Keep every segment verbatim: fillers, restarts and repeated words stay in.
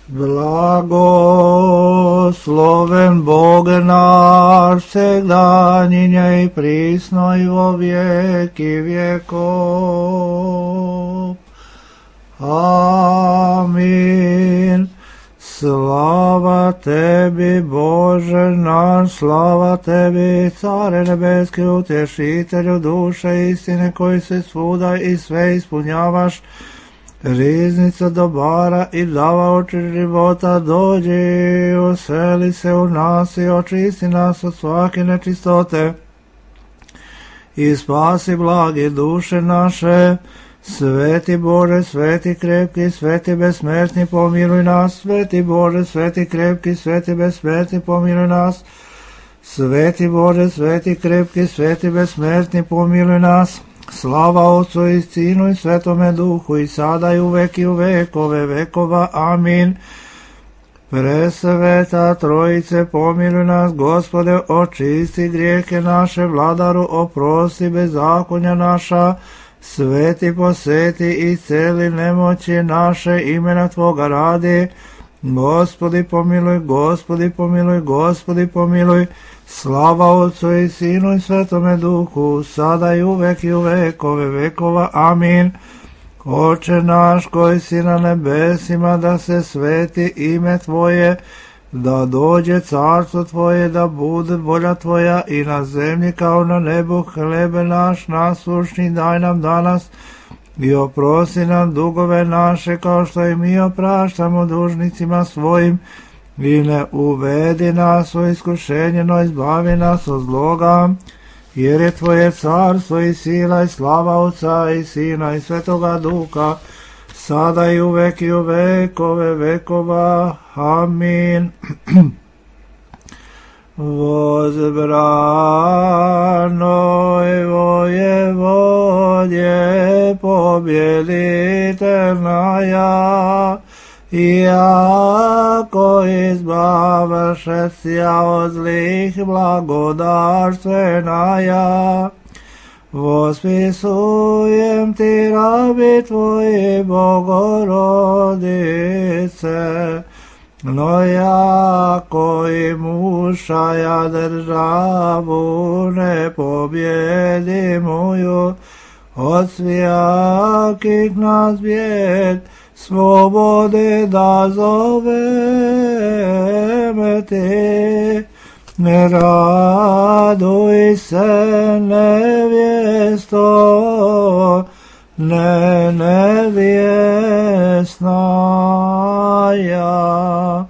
Blagosloven Bog naš, vsegdanjinje i prisno i vo vijeki vjekov. Amin. Slava tebi, Bože naš, slava tebi, Care nebeski, utješitelju duše istine, koji se svuda i sve ispunjavaš, riznica dobara i davaoči života, dođi, useli se u nas i očisti nas od svake nečistote i spasi blagi duše naše. Sveti Bože, sveti krepki, sveti besmrtni, pomiluj nas. Sveti Bože, sveti krepki, sveti besmrtni, pomiluj nas. Sveti Bože, sveti krepki, sveti besmrtni, pomiluj nas. Slava Otcu i Sinu i Svetome Duhu, i sada i uvek i u vekove vekova. Amin. Presveta Trojice, pomiluj nas. Gospode, očisti grijehe naše. Vladaru, oprosti bezakonja naša. Sveti poseti i celi nemoći naše, imena Tvoga radi. Gospodi pomiluj, Gospodi pomiluj, Gospodi pomiluj. Slava Otcu i Sinu i Svetome Duhu, sada i uvek i u vekove vekova. Amin. Oče naš koji si na nebesima, da se sveti ime Tvoje, da dođe carstvo Tvoje, da bude volja Tvoja i na zemlji kao na nebu. Hlebe naš nasušni daj nam danas i oprosti nam dugove naše, kao što i mi opraštamo dužnicima svojim, i ne uvedi nas u iskušenje, no izbavi nas od zloga, jer je Tvoje carstvo i sila i slava Otca i Sina i Svetoga Duha, sada i uvek i u vekove vekova. Amin. Возбранoj воеводje, pobjeditelnaja, iako izbavšesja od zlih blagodarstvenaja. Vospisujem ti, rabi Tvoji, Bogorodice, no jako i mušaja državu ne pobjedi moju, od svijakih nas bijed slobode da zoveme ti. Ne raduj se, nevjesto, ne nevjesna ja.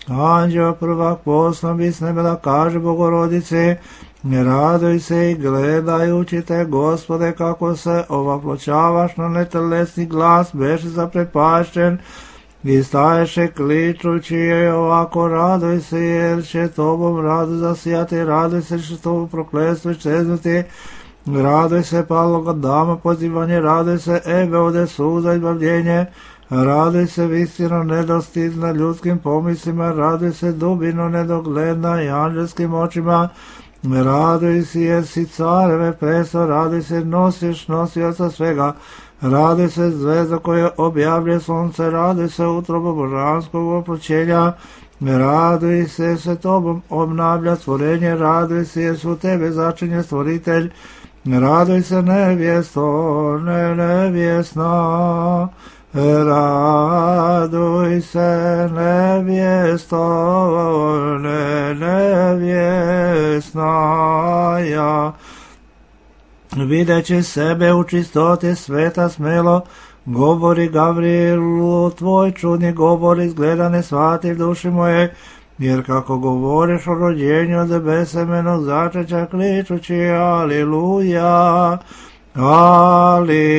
Anđeo prvak poslan bi s nebe da kaže Bogorodici, ne raduj se i gledajući te, Gospode, kako se ovaploćavaš na netelesni glas, beše zaprepašćen i staješe kličući je ovako, raduj se jer će tobom radu zasijati, raduj se što tobom prokletstvo iščeznuti, raduj se paloga dama pozivanje, raduj se ebe ode suza izbavljenje, raduj se visino nedostizna ljudskim pomislima, raduj se dubino nedogledna i anđelskim očima, raduj se jer si careve presto, raduj se nosiš nosioca svega, raduj se zvezda koja objavlja sunce, raduj se utrobo božanskog oploćenja, raduj se se tobom obnavlja stvorenje, raduj se jer su tebe začinje stvoritelj, raduj se nevjesto, ne nevjesna, raduj se nevjesto, ne nevjesna ja. Videći sebe u čistoti sveta smelo, govori Gavrilu, tvoj čudni govor izgleda ne shvativ duši moje, jer kako govoriš o rođenju od besemenog začeća, kličući aliluja, aliluja,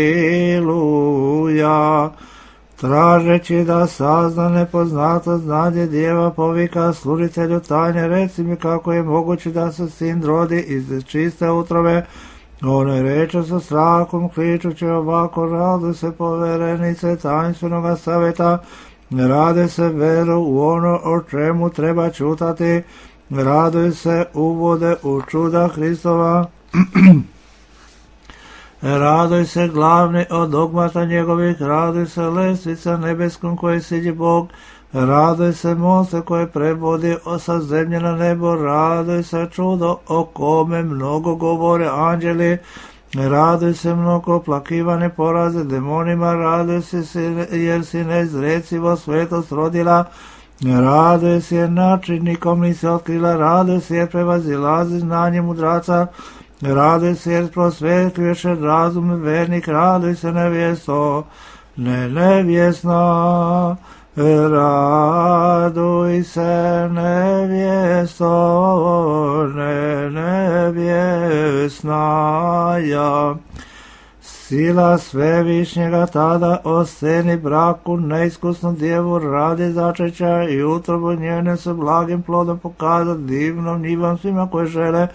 tražeći da sazna nepoznato znanje djeva, povika služitelju tajne, reci mi kako je moguće da se sin rodi iz čiste utrove. One reče sa strahom, kličući ovako, raduj se poverenice tajnstvenog savjeta, raduj se veru u ono o čemu treba čutati, raduj se uvode u čuda Hristova, raduj se glavni od dogmata njegovih, raduj se lestvica nebeskom koji siđi Bog, Raduj se moste koje prebodi sa zemlje na nebo, raduj se čudo o kome mnogo govore anđeli, raduj se mnogo plakivane poraze demonima, raduj se jer si neizrecivo svetost rodila, raduj se jer načinnikom nisi otkrila, raduj se jer prevazilazi znanje mudraca, raduj se jer prosvetljuješ razum vernik, raduj se nevjesto, ne nevjesna, raduj se nevjesto, ne nevjesnaja. Sila svevišnjega tada o sceni braku neiskusnu djevu radi začeća i utrobu njene se blagim plodom pokaza divnom njivom svima koji žele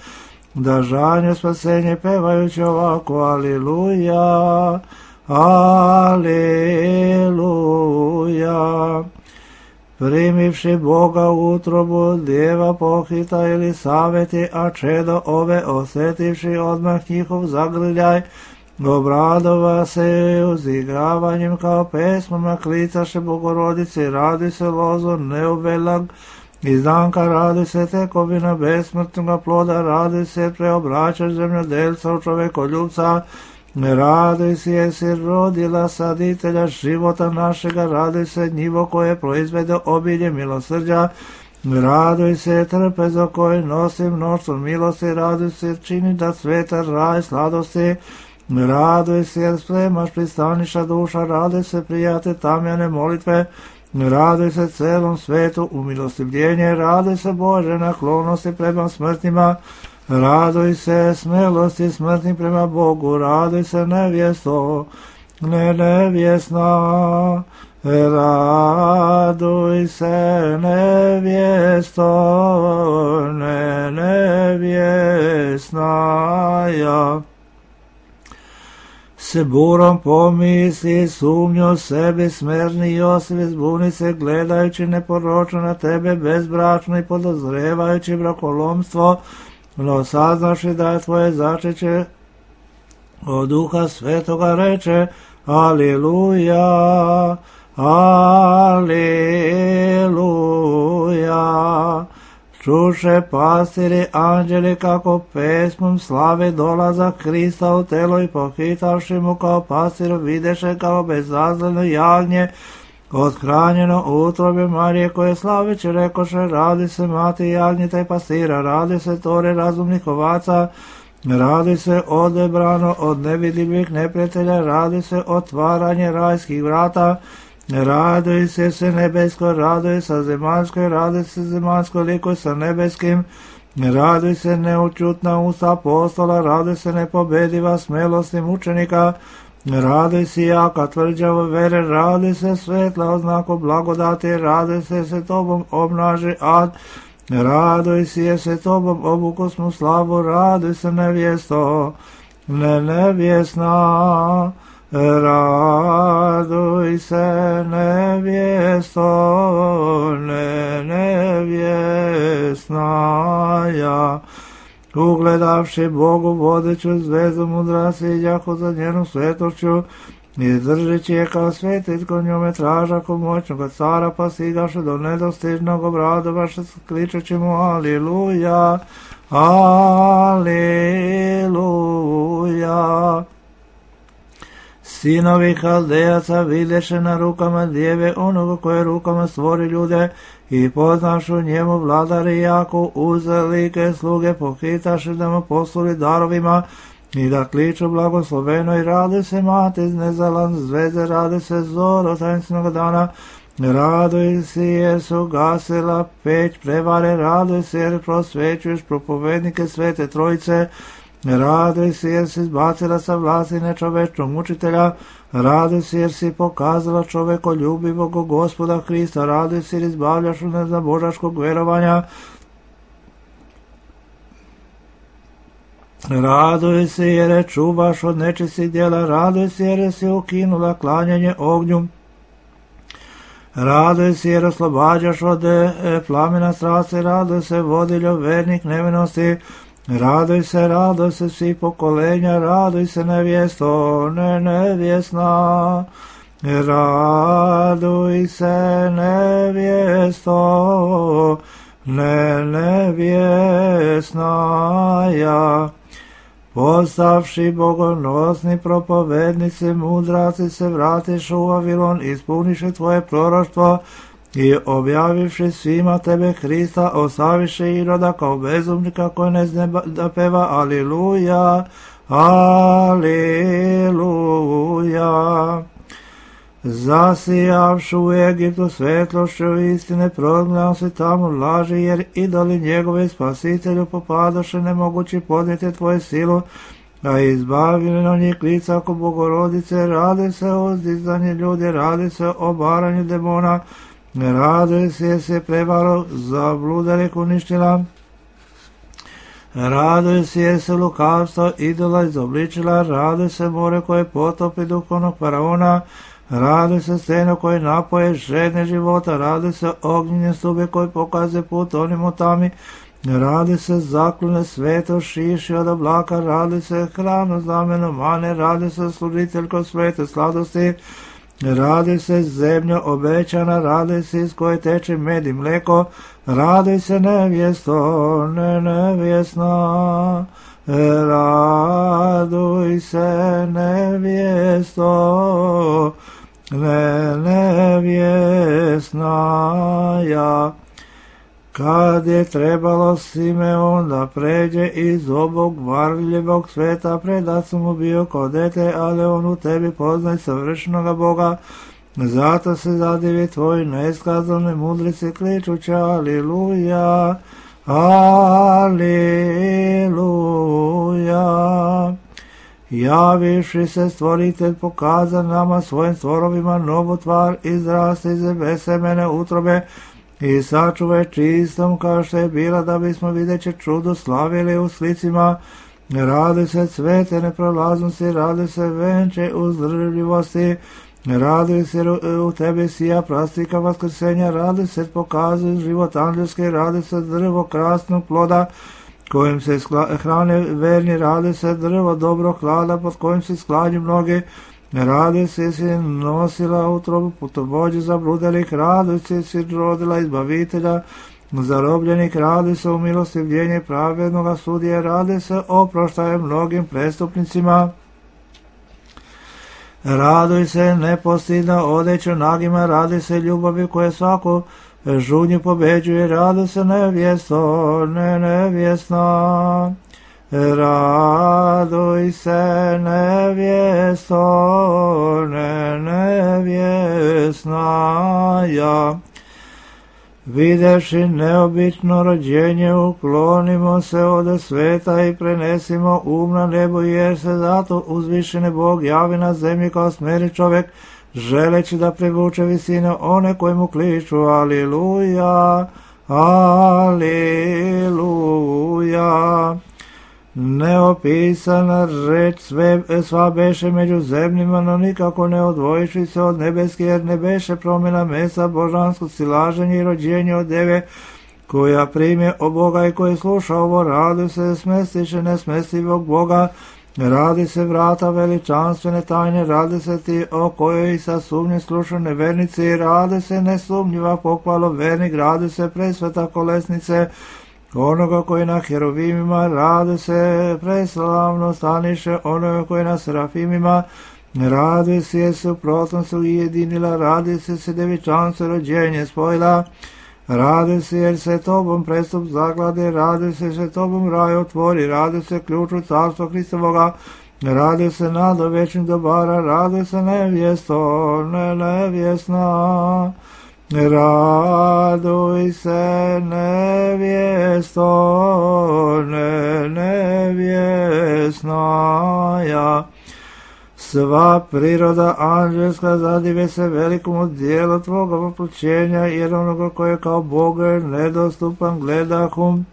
da žanje spasenje pevajući ovako aliluja, aliluja. Primivši Boga u utrobu, djeva pohita ili saveti, a čedo ove osjetivši odmah njihov zagrljaj, obradova se uzigravanjem kao pesmama klicaše Bogorodici, radi se lozo neuvelag, izdanka radi se tekovina besmrtnoga ploda, radi se preobraćaš zemljodelca u čovekoljubca, radi se jesi rodila saditelja života našega, radi se njivo koje proizvede obilje milosrđa, raduj se trpezo koje nosi mnoštvo milosti, raduj se čini da sveta raj sladosti, raduj se jer spremaš pristaniša duša, raduj se prijate tamjane molitve, raduj se celom svetu umilostivljenje, raduj se Bože naklonosti prema smrtnima, raduj se smelosti smrtnih prema Bogu, raduj se nevjesto, ne nevjesna, raduj se nevjesto, ne nevjesnaja. Se burom pomisli, sumnju sebi, smerni Josif zbuni se, gledajući neporočno na tebe bezbračno i podozrevajući brakolomstvo, no saznaši da je tvoje začeće od Duha Svetoga reče, aliluja, aliluja. Čuše pastiri anđeli kako pesmom slave dolazak Krista u telo i pohitavši mu kao pastiru videše kao bezazleno jagnje othranjeno u utrobi Marije koje slaveće rekoše, radi se mati jagnjeta i pastira, radi se tore razumnih ovaca, radi se odebrano od nevidljivih neprijatelja, radi se otvaranje rajskih vrata, raduj se se nebesko, raduj sa zemaljskoj, raduj se zemaljskoj likoj sa nebeskim, raduj se neučutna usta apostola, raduj se nepobediva smelostim učenika, raduj se jaka tvrđava vere, raduj se svetla oznako blagodati, raduj se se tobom obnaži ad, raduj se se tobom obukosnu slavu, raduj se nevjesto, ne nevjesna, raduj se nevjesto, ne nevjesnaja. Ugledavši Bogu vodeću zvezdu mudra siđahu za njenu svetošću, i držeći je kao svetetko njome tražaku moćnoga cara, pa sigaše do nedostižnog obradovaše kličeći mu aliluja, aliluja. Sinovi Haldejaca videše na rukama djeve onoga koje rukama stvori ljude i poznašu njemu vladari jako uzelike sluge pohitaše da mu posluli darovima i da kliču blagosloveno i radi se mati iz nezalan zvezde, radi se zoro tajnstvenog dana, raduj se jer su gasila peć prevare, raduj se jer prosvećuješ propovednike Svete Trojice, raduj se jer si izbacila sa vlasti nečovečnog mučitelja, raduj se jer si pokazala čovekoljubivog Gospoda Hrista, raduj se jer izbavljaš u nezabožaškog verovanja, raduj se jer je čuvaš od nečistih djela, raduj se jer si ukinula klanjanje ognju, raduj se jer oslobađaš od plamena strasti, raduj se vodiljo vernik nevinosti, raduj se, raduj se svi pokolenja, raduj se nevjesto, ne nevjesna, Raduj se, nevjesto, ne nevjesnaja. Postavši bogonosni propovednici, mudraci se vratiš u Vavilon, ispuniše tvoje proroštvo i objavivši svima tebe Hrista, ostaviše Iroda kao bezumnika koji ne zna da peva Aliluja, Aliluja. Zasijavšu u Egiptu svetlošću istine, prognao se tamo laži, jer idoli njegove spasitelju popadoše, nemogući podnijeti tvoje silu, a izbavljeno njih lica oko Bogorodice. Rade se o uzdizanju ljudi, rade se o baranju demona, rade se se prevaro zabludelih uništila, raduje se se lukavstvo idola izobličila, raduje se more koje potopi duhovnog faraona, rade se steno koje napoje žedne života, rade se ognjene stube koje pokaze put onim u tami, rade se zaklone sveto šiši od oblaka, rade se hranu znameno mane, rade se služiteljko svete sladosti, rade se zemlja obećana, rade se iz koje teče med i mleko, rade se nevjesto, ne nevjesna, raduj se nevjesto, ne nevjesnaja. Kad je trebalo Simeon da pređe iz obog varljivog sveta, predat sam mu bio kao dete, ali on u tebi poznaj savršenoga Boga. Zato se zadivi tvoji neiskazane mudrici, kličući Aliluja, Aliluja. Javiši se stvoritelj pokaza nama svojim stvorovima novu tvar, izraste iz besemene utrobe i sačuvaj čistom kao što je bila, da bismo videći čudo slavili u slicima. Rade se cvete neprolaznosti, rade se venče uzdržljivosti, rade se u tebi sija prastika vaskrsenja, rade se pokazuju život anđelski, rade se drvo krasnog ploda kojim se hrane verni, rade se drvo dobro hlada pod kojim se sklanju mnogi, rade se si nosila utrobu putovođe zabludelih, rade se si rodila izbavitelja zarobljenih, rade se u milostivljenje pravednoga sudije, rade se oproštaje mnogim prestupnicima, raduj se nepostidna odeća nagima, rade se ljubavi koje svaku žudnju pobeđuje, rade se nevjesto, ne nevjesna, raduj se nevjesto, ne nevjesnaja. Videvši neobično rođenje, uklonimo se od sveta i prenesimo um na nebo, jer se zato uzvišeni Bog javi na zemlji kao smeri čovjek, želeći da privuče visine one koji mu kliču Aliluja, Aliluja. Neopisana reč sve, sva beše među zemljima, no nikako ne odvojiši se od nebeske, jer ne beše promjena mesa božanskog silaženja i rođenja od deve, koja prime od Boga i koji sluša ovo, radi se smestiše nesmestivog Boga, radi se vrata veličanstvene tajne, radi se ti o kojoj sa sumnje sluša nevernici, radi se nesumnjiva pohvalo vernik, radi se presveta kolesnice onoga koji na heruvimima, radi se preslavno staniše onoga koji na serafimima, radi se suprotno se ujedinila, radi se se devičanstvo rođenje spojila, radi se jer se tobom prestup zaglade, radi se se tobom raj otvori, radi se ključu carstva Hristovoga, radi se nado večnih dobara, radi se nevjesto, ne nevjesna, raduj se nevjesto, ne nevjesnaja. Sva priroda anđelska zadive se velikom dijelu tvoga poplućenja, jer onoga koji je kao Bog nedostupan gledahum,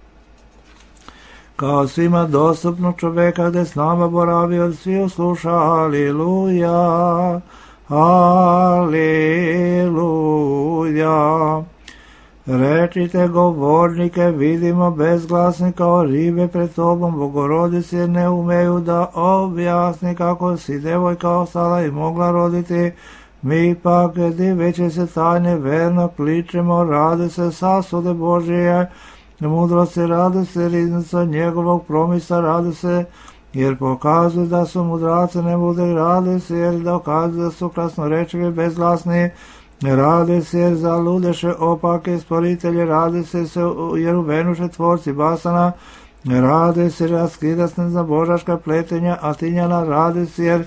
kao svima dostupnog čoveka, gde s nama boravi od sviju sluša. Aliluja, Aliluja. Rečite govornike, vidimo bezglasni kao ribe pred tobom, Bogorodice, jer ne umeju da objasni kako si devojka ostala i mogla roditi, Mi pak, diveći se tajne, verno kličemo, radi se sasude Božije, mudrosti radi se, riznica njegovog promisa radi se, jer pokazuju da su mudraci ne bude radi se, jer dokazuju da su krasnorečivi bezglasni, radi se jer zaludeše opake sporitelji, radi se jer uvenuše tvorci basana, radi se raskidasne za božaška pletenja, a tinjana radi se jer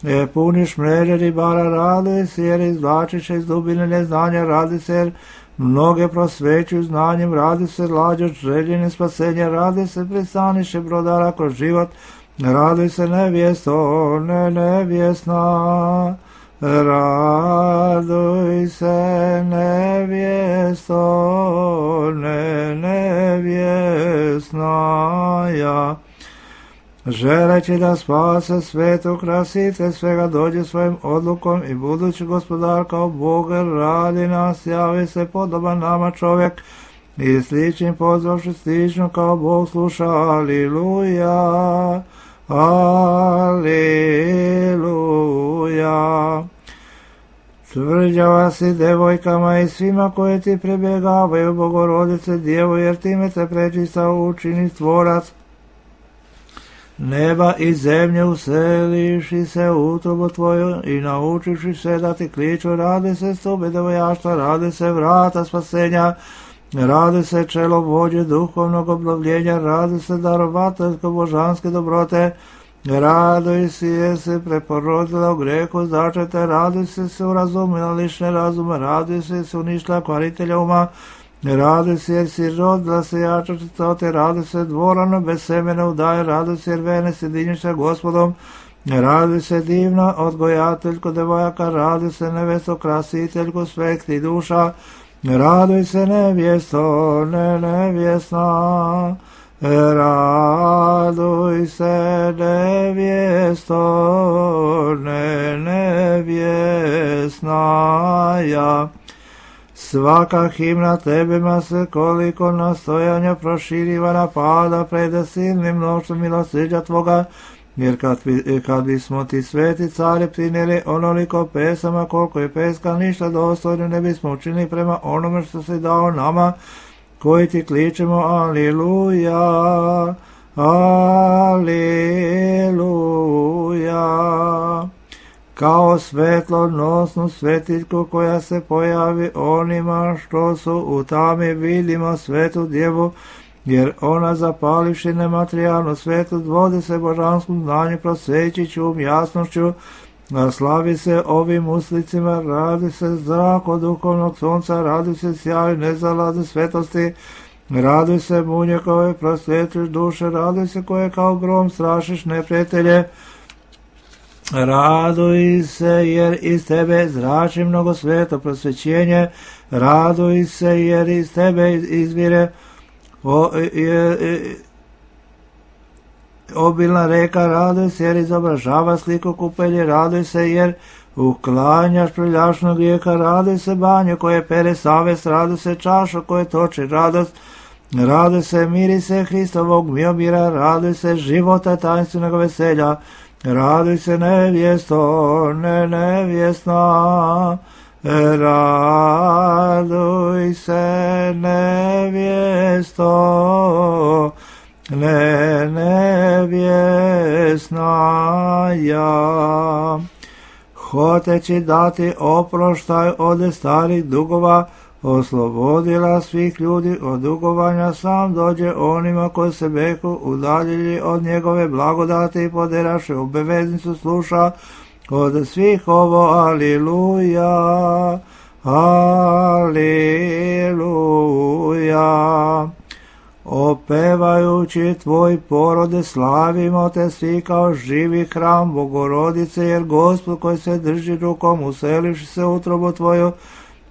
e, puniš mreže ribara, radi se jer izvlačiše iz dubine neznanja, radi se jer mnoge prosvećuju znanjem, radi se lađo željenje spasenja, radi se pristaniše brodara kroz život, radi se nevjesto, ne nevjesna, raduj se nevjesto, ne nevjesna ja. Želeći da spase svetu krasite svega dođe svojim odlukom i budući gospodar kao Bog radi nas, javi se podoban nama čovjek i sličnim pozvavši slično kao Bog sluša. Aliluja, aliluja. Tvrđava si devojkama i svima koje ti prebjegavaju, Bogorodice Djevo, jer time te prečista učini stvorac neba i zemlje, useliši se u utrobu tvoju i naučiši se da ti kliču, radi se stube devojaštva, radi se vrata spasenja, radi se čelo vođe duhovnog obnovljenja, radi se darovateljsko božanske dobrote, raduj si jer se preporodila u grehu začete, raduj se se urazumila lišne razume, raduj se se uništila kvaritelja uma, raduj se jer si rodila se jača čistote, raduj se dvorano bez semena udaje, raduj se jer vene sjedinjuša gospodom, raduj se divna odgojateljko devojaka, raduj se nevesto krasiteljko svekti duša, raduj se nevjesto, ne nevjesna, raduj se nevjesto, ne nevjesna ja. Svaka himna tebima se koliko nastojanja proširiva napada preda silnim mnoštvom milosrđa tvoga, jer kad, kad bismo ti sveti cari prinijeli onoliko pesama koliko je peska ništa dostojno ne bismo učinili prema onome što si dao nama koji ti kličemo aliluja, aliluja. Kao svetlonosnu svetiljku koja se pojavi onima što su u tami, vidimo svetu djevu, jer ona zapalivši nematerijalnu svetu vodi se božanskom znanju, prosvećići um jasnošću, a slavi se ovim uslicima, radi se zrak od duhovnog sunca, radi se sjaj nezalazne svetosti, radi se munje koje prosvjetljuš duše, radi se koje kao grom strašiš neprijatelje, raduj se jer iz tebe zrači mnogo sveto prosvećenje, raduj se jer iz tebe izvire o, je, je, obilna reka, raduj se jer izobražava sliku kupelje, raduj se jer uklanjaš preljašnog grijeka, raduj se banje koje pere savest, raduj se čaša koje toči radost, raduj se mirise Hristovog miomira, raduj se života tajnstvenog veselja, raduj se nevjesto, ne nevjesna, raduj se nevjesto, ne nevjesna ja. Hoteći dati oproštaj od starih dugova, oslobodila svih ljudi od dugovanja, sam dođe onima koji se beku udaljili od njegove blagodati i poderaše obaveznicu sluša od svih ovo aliluja, aliluja. Opevajući tvoj porode slavimo te svi kao živi hram Bogorodice, jer Gospod koji se drži rukom uselivši se u utrobu tvoju,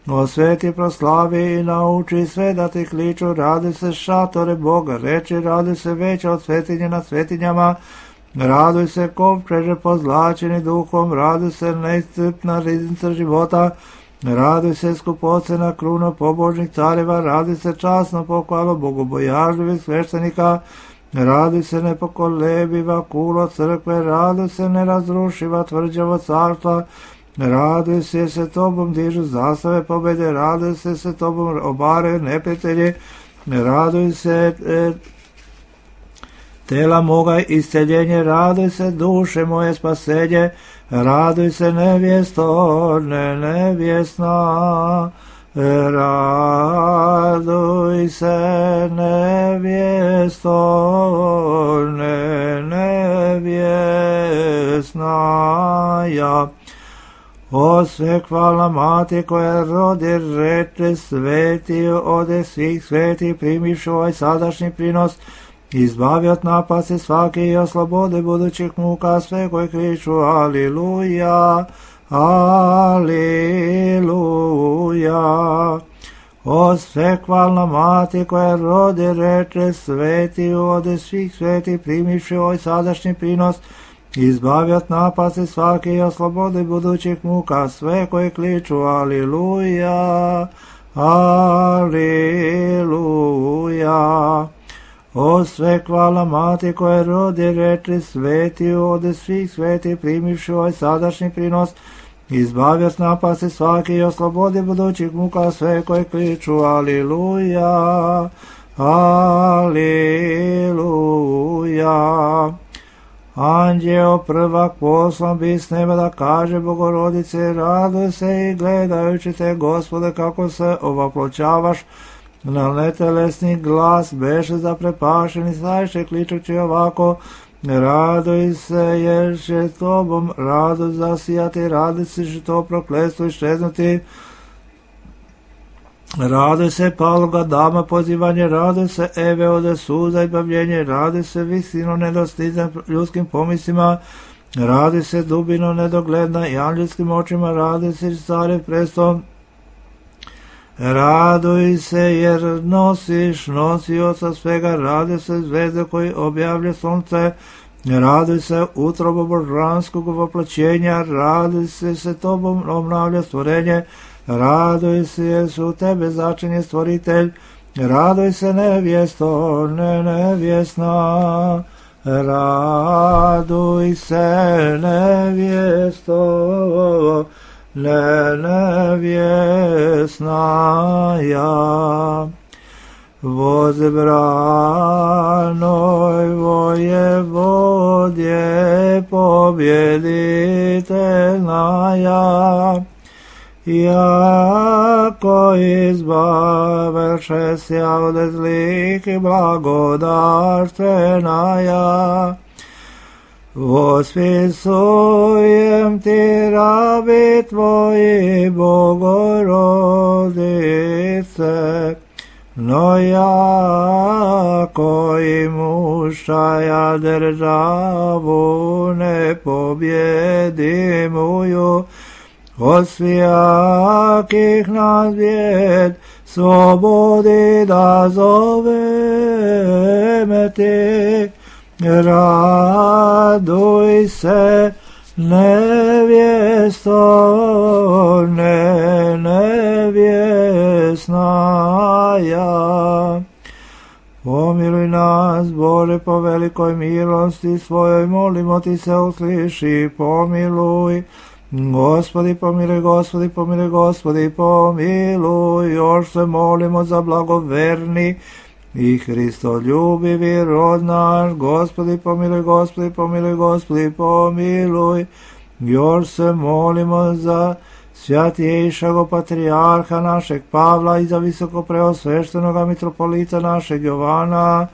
osveti, proslavi i nauči sve da ti kliču, radi se šatore Boga, reči radi se veća od svetinje na svetinjama, raduj se kovčeže pozlačeni duhom, raduj se neiscrpna riznica života, raduj se skupocena kruna pobožnih careva, raduj se časno pohvalo bogobojažljivih sveštenika, raduj se nepokolebiva kulo crkve, raduj se nerazrušiva tvrđavo carstva, Raduj se se tobom, dižu zastave pobjede, raduj se se tobom, obaraju neprijatelji, raduj se e, tela moga isceljenje, raduj se duše moje spasenje, raduj se nevjesto, ne nevjesna, raduj se nevjesto, ne nevjesna, ja. O sve hvalna mati koja rodi reče sveti, ode svih sveti, primiš ovaj sadašnji prinos, izbavi od napasti svake i oslobode budućih muka sve koje kriču aliluja, aliluja. O sve hvalna mati koja rodi reče sveti, ode svih sveti, primiš ovaj sadašnji prinos, izbavi od napasti svake i oslobode budućih muka sve koje kliču aliluja, aliluja. O sve hvala mati koje rodi reči sveti, ode svih sveti, primivši ovaj sadašnji prinos, izbavi od napasti svake i oslobodi budućih muka sve koje kliču aliluja, aliluja. Anđeo prvak poslan bi s neba da kaže Bogorodice, raduj se i gledajući te, Gospode, kako se ovaploćavaš, na netelesni glas beše zaprepašeni, sajše kličući ovako, raduj se jer će tobom radost zasijati, raduj se že to prokletstvo iščeznuti, raduj se paloga dama pozivanje, raduj se Eve ode suza i bavljenje, raduj se visino nedostizan ljudskim pomislima, raduj se dubino nedogledna i anđelskim očima, raduj se stare prestom, raduj se jer nosiš nosioca svega, raduj se zvezde koji objavlja sunce, raduj se utrobo božanskog voplaćenja, raduj se se tobom obnavlja stvorenje, raduj se jer su u tebe začinje stvoritelj, raduj se nevjesto, ne nevjesna, raduj se nevjesto, ne nevjesna, ja. Voze branoj vojevodje, pobjediteljna, ja. Jako izbaveše se od zlih i blagodarstvena, ja. Vospisujem ti rabi tvoji, Bogorodice, no jako i mušaja državu ne pobjedimuju, od svijakih nas bijed slobodi da zoveme ti, raduj se nevjesto, ne nevjesna, ja. Pomiluj nas, Bože, po velikoj milosti svojoj, molimo ti se, usliši, pomiluj. Gospodi pomiluj, Gospodi pomiluj, Gospodi pomiluj, još se molimo za blagoverni i Hristoljubivi rod naš, Gospodi pomiluj, Gospodi pomiluj, Gospodi pomiluj, još se molimo za svjatiješago patrijarha našeg Pavla i za visoko preosveštenoga mitropolita našeg Jovana,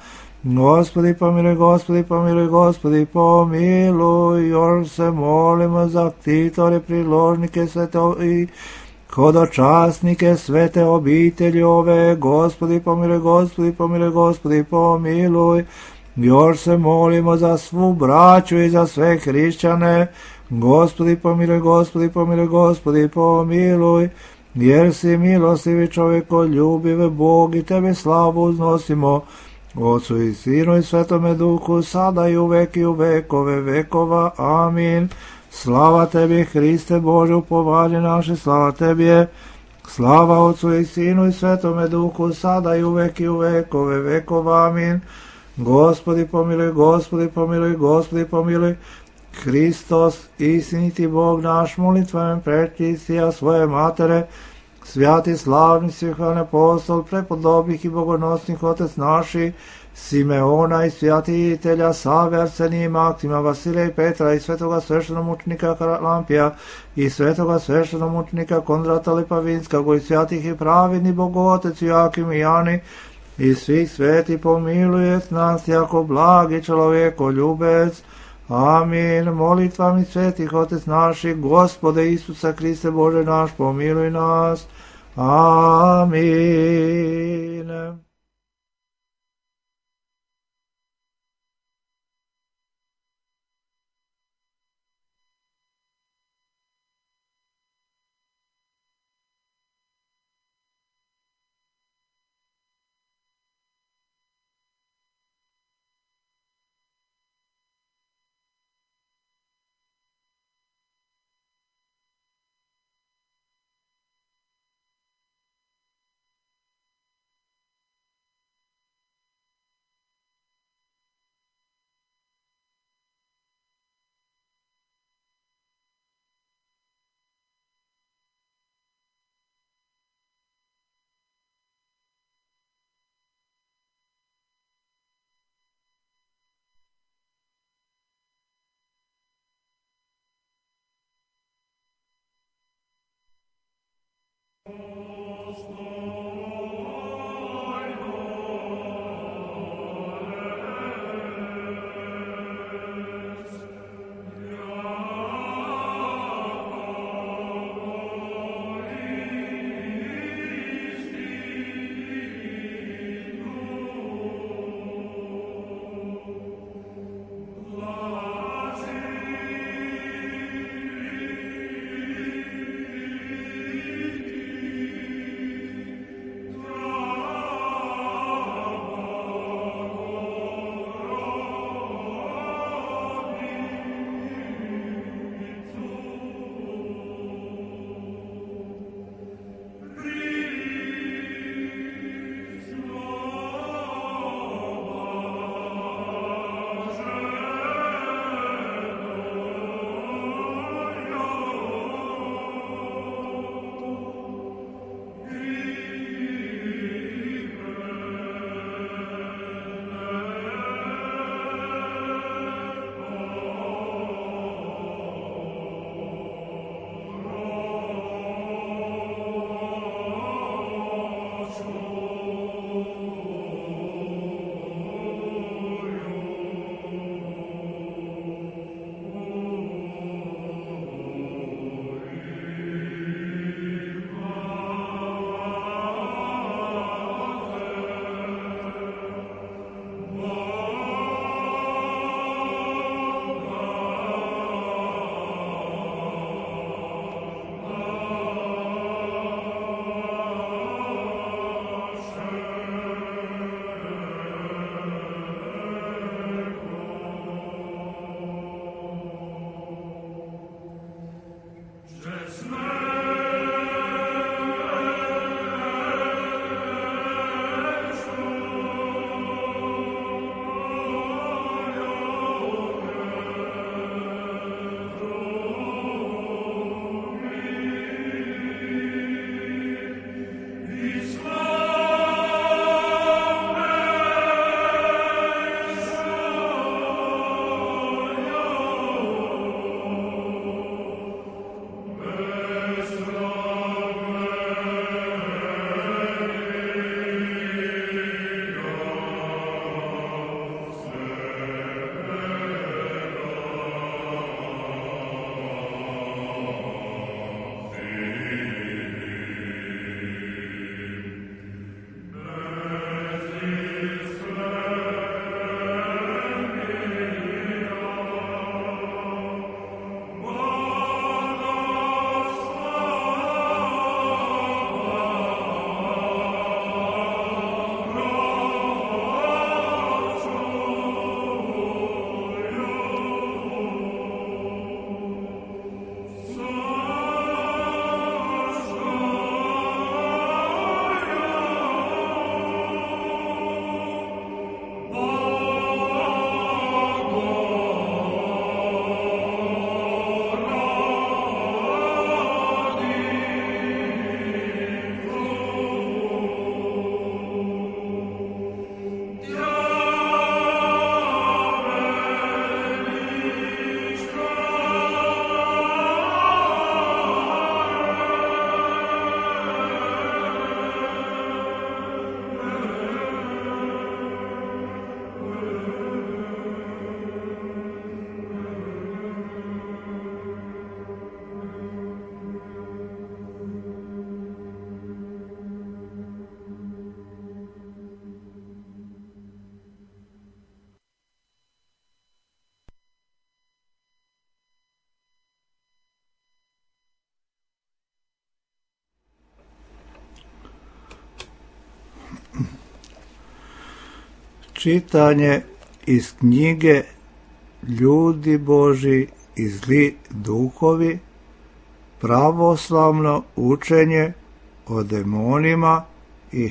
Gospodi pomiluj, Gospodi pomiluj, Gospodi pomiluj, još se molimo za ktitore, priložnike, svete i hodočasnike, svete obitelji ove, Gospodi pomiluj, Gospodi pomiluj, Gospodi pomiluj, još se molimo za svu braću i za sve hrišćane, Gospodi pomiluj, Gospodi pomiluj, Gospodi pomiluj, jer si milostivi čovjekoljubiv Bog i tebe slavu uznosimo, Otcu i Sinu i Svetome Duhu, sada i uvek i u vekove vekova. Amin. Slava tebi, Hriste Bože, upovanje naše, slava tebi, slava Otcu i Sinu i Svetome Duhu, sada i uvek i u vekove vekova. Amin. Gospodi pomiluj, Gospodi pomiluj, Gospodi pomiluj, Hristos, istiniti Bog naš, molitvom pretistija svoje matere, svjati slavni svihvan apostol, prepodobnih i bogonosnih otec naši, Simeona i svjatitelja Save, Arsenije, Maksima, Vasilija i Petra i svetoga sveštenomučnika Karalampija i svetoga sveštenomučnika Kondrata Lipavinskog i svjatih i pravedni Bogotec Joakim i Jani i svih sveti pomilujet nas jako blagi čovjeko ljubec. Amin. Molitvami svetih otec naših, Gospode Isusa Kriste Bože naš, pomiluj nas. Amin. Čitanje iz knjige Ljudi Božji i zli duhovi, pravoslavno učenje o demonima i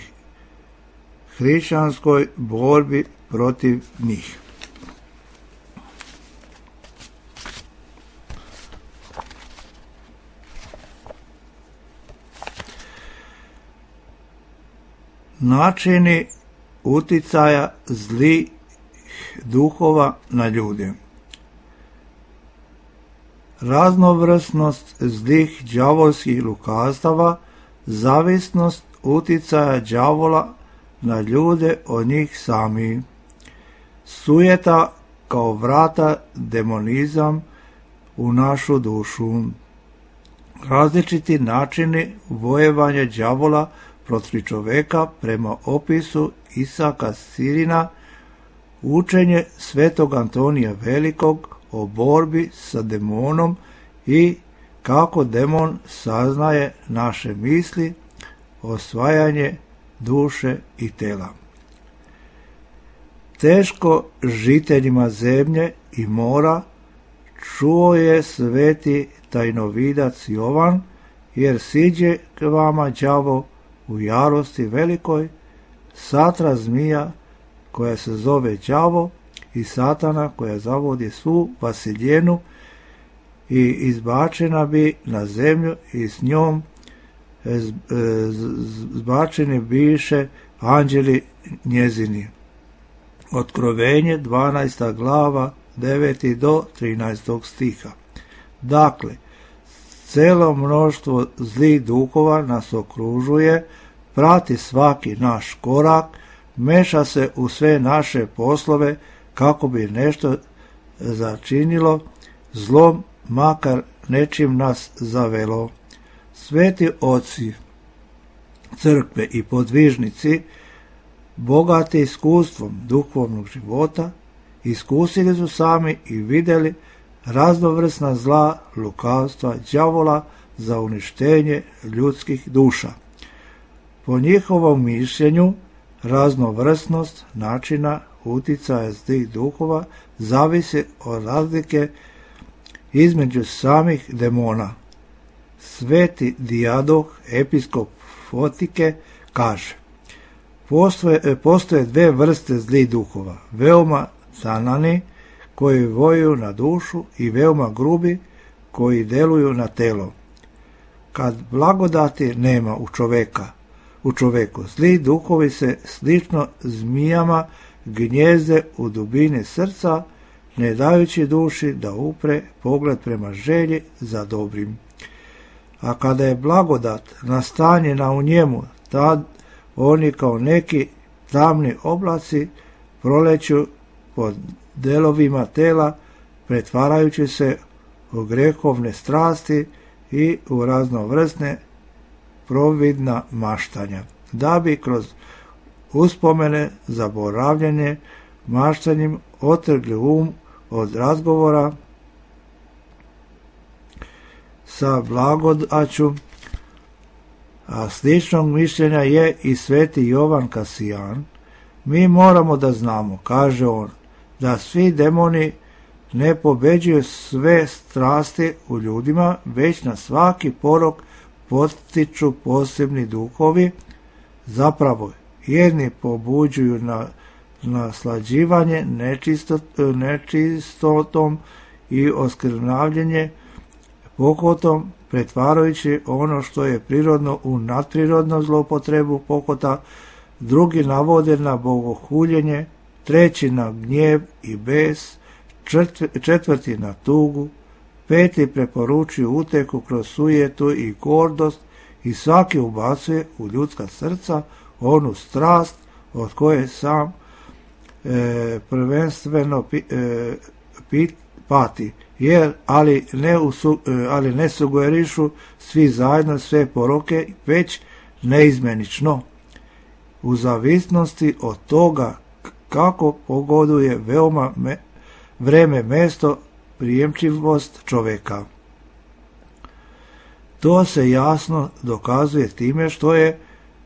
hrišćanskoj borbi protiv njih. Načini uticaja zlih duhova na ljude. Raznovrsnost zlih đavolskih lukavstava, zavisnost uticaja đavola na ljude od njih samih. Sujeta kao vrata demonizam u našu dušu. Različiti načini vojevanja đavola protiv čoveka prema opisu Isaka Sirina, učenje svetog Antonija Velikog o borbi sa demonom i kako demon saznaje naše misli, osvajanje duše i tela. Teško žiteljima zemlje i mora čuo je sveti tajnovidac Jovan, jer siđe k vama đavo u jarosti velikoj, satra zmija koja se zove đavo i satana koja zavodi svu vasiljenu i izbačena bi na zemlju i s njom zbačeni biše anđeli njezini. Otkrovenje dvanaesta glava deveti do trinaestog stiha. Dakle, celo mnoštvo zlih duhova nas okružuje, prati svaki naš korak, meša se u sve naše poslove kako bi nešto začinilo zlom, makar nečim nas zavelo. Sveti oci crkve i podvižnici, bogati iskustvom duhovnog života, iskusili su sami i vidjeli raznovrsna zla, lukavstva đavola za uništenje ljudskih duša. Po njihovom mišljenju, raznovrsnost načina uticaja zlih duhova zavisi od razlike između samih demona. Sveti Dijadoh, episkop Fotike, kaže: Postoje, postoje dve vrste zlih duhova, veoma canani koji vojuju na dušu i veoma grubi koji deluju na telo. Kad blagodati nema u čoveka, u čoveku, zli duhovi se slično zmijama gnjezde u dubini srca, ne dajući duši da upre pogled prema želji za dobrim. A kada je blagodat nastanjena u njemu, tad oni kao neki tamni oblaci proleću pod delovima tela, pretvarajući se u grehovne strasti i u raznovrsne providna maštanja, da bi kroz uspomene, zaboravljanje, maštanjem otrgli um od razgovora sa blagodaću. A sličnog mišljenja je i sveti Jovan Kasijan. Mi moramo da znamo, kaže on, da svi demoni ne pobeđuju sve strasti u ljudima, već na svaki porok potiču posebni duhovi. Zapravo, jedni pobuđuju na naslađivanje nečistot, nečistotom i oskrnavljenje pokotom, pretvarajući ono što je prirodno u nadprirodnu zlopotrebu pokota, drugi navode na bogohuljenje, treći na gnjev i bes, četvrti na tugu, peti preporučuju uteku kroz sujetu i gordost i svaki ubacuje u ljudska srca onu strast od koje sam e, prvenstveno pi, e, pit, pati, jer ali ne, usu, e, ali ne sugerišu svi zajedno sve poroke, već neizmenično, u zavisnosti od toga kako pogoduje veoma me, vreme, mesto, prijemčivost čoveka. To se jasno dokazuje time što je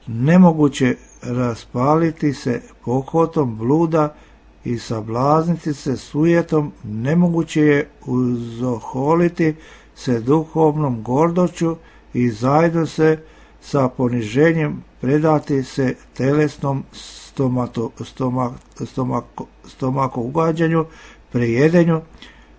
nemoguće raspaliti se pohotom bluda i sablazniti se sujetom, nemoguće je uzoholiti se duhovnom gordoću i zajedno se sa poniženjem predati se telesnom stomato, stomak, stomako, stomako ugađanju, prejedenju.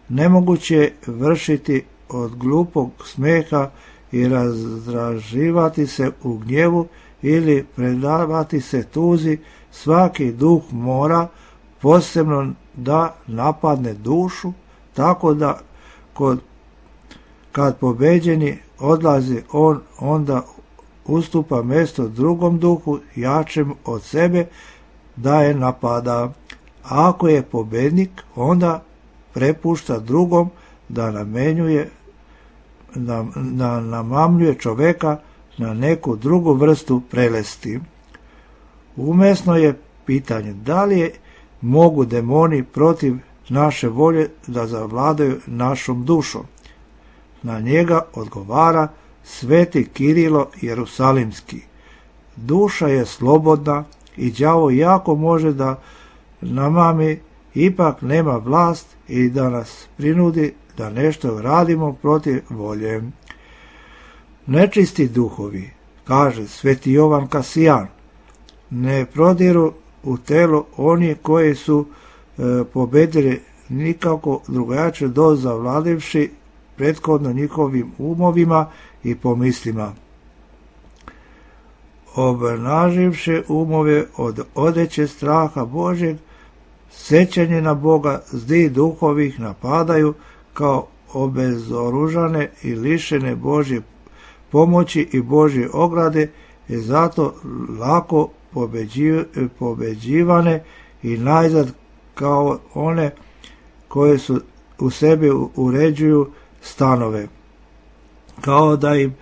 Nemoguće je vršiti od glupog smeha i razdraživati se u gnjevu ili predavati se tuzi. Svaki duh mora posebno da napadne dušu, tako da kod, kad pobeđeni odlazi on, onda ustupa mjesto drugom duhu, jačem od sebe, da je napada. A ako je pobednik, onda prepušta drugom da namenjuje, da, da namamljuje čoveka na neku drugu vrstu prelesti. Umesno je pitanje da li je mogu demoni protiv naše volje da zavladaju našom dušom. Na njega odgovara sveti Kirilo Jerusalimski. Duša je slobodna i đavo jako može da namami, ipak nema vlast i da nas prinudi da nešto radimo protiv volje. Nečisti duhovi, kaže sveti Jovan Kasijan, ne prodiru u telo oni koji su e, pobedili nikako drugačije do zavladivši prethodno njihovim umovima i pomislima. Obnaživši umove od odeće straha Božeg, sećanje na Boga, zdi duhovih napadaju kao obezoružane i lišene Božje pomoći i Božje ograde, i zato lako pobeđivane i najzad kao one koje su u sebi uređuju stanove, kao da im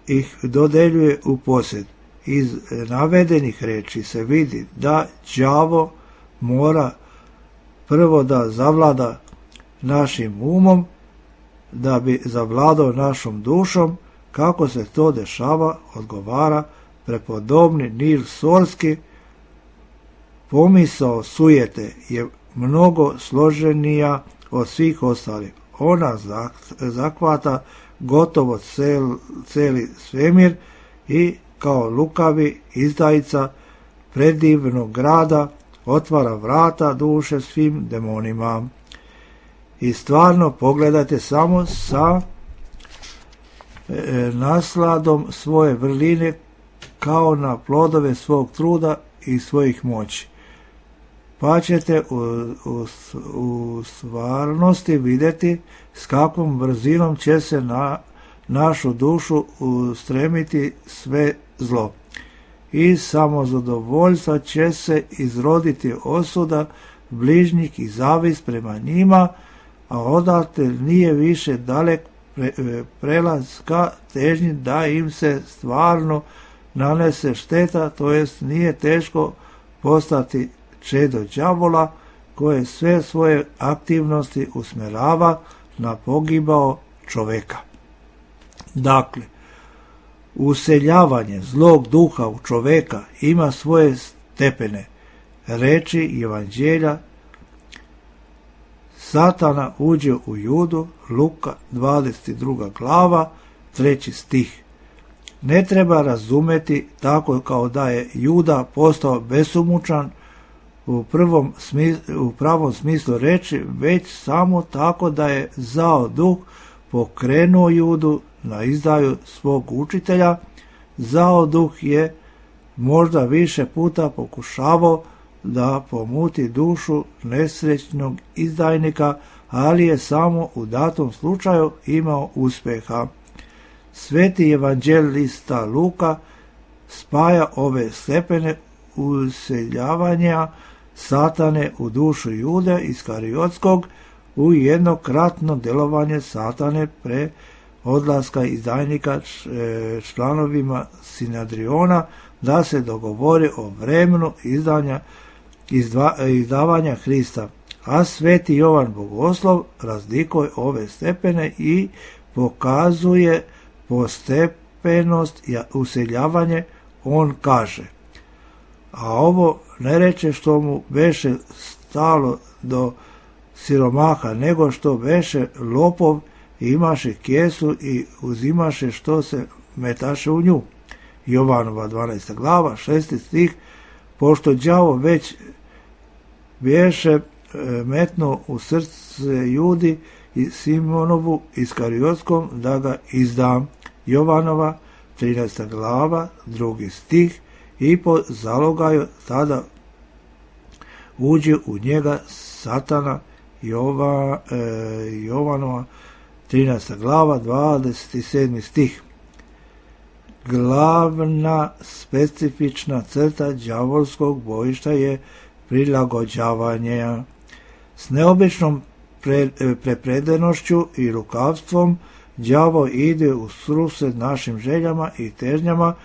ih dodeljuje u posjed. Iz navedenih reči se vidi da đavo mora prvo da zavlada našim umom, da bi zavladao našom dušom. Kako se to dešava, odgovara prepodobni Nil Sorski. Pomisao sujete je mnogo složenija od svih ostalih. Ona zakvata gotovo cel, celi svemir i kao lukavi izdajica predivnog grada otvara vrata duše svim demonima. I stvarno pogledajte samo sa e, nasladom svoje vrline kao na plodove svog truda i svojih moći. Pa ćete u, u, u stvarnosti vidjeti s kakvom brzinom će se na našu dušu ustremiti sve zlo. I samozadovoljstva će se izroditi osuda bližnjih i zavist prema njima, a odatle nije više dalek pre, prelaz ka težnji da im se stvarno nanese šteta, to jest nije teško postati čedo đavola koje sve svoje aktivnosti usmjerava na pogibao čoveka. Dakle, useljavanje zlog duha u čoveka ima svoje stepene. Reči Evanđelja: Satana uđe u Judu, Luka dvadeset druga glava, treći stih. Ne treba razumeti tako kao da je Juda postao besumučan u, prvom smislu, u pravom smislu reči, već samo tako da je zao duh pokrenuo Judu na izdaju svog učitelja. Zao duh je možda više puta pokušavao da pomuti dušu nesrećnog izdajnika, ali je samo u datom slučaju imao uspjeha. Sveti evanđelista Luka spaja ove stepene useljavanja Satane u dušu Jude Iskariotskog u jednokratno djelovanje Satane pre odlaska izdajnika članovima Sinadriona da se dogovori o vremenu izdanja, izdva, izdavanja Hrista. A sveti Jovan Bogoslov razlikuje ove stepene i pokazuje postepenost useljavanje. On kaže: a ovo ne reče što mu beše stalo do siromaha, nego što beše lopov i imaše kesu i uzimaše što se metaše u nju. Jovanova dvanaesta glava, šesti stih, pošto đavo već beše metno u srce Judi i Simonovu Iskariotskom da ga izdam. Jovanova trinaesta glava, drugi stih, i po zalogaju tada uđe u njega Satana. Jova, e, Jovanova trinaesta glava, dvadeset sedmi stih. Glavna specifična crta đavolskog bojišta je prilagođavanje. S neobičnom pre, prepredenošću i lukavstvom đavo ide u susret našim željama i težnjama,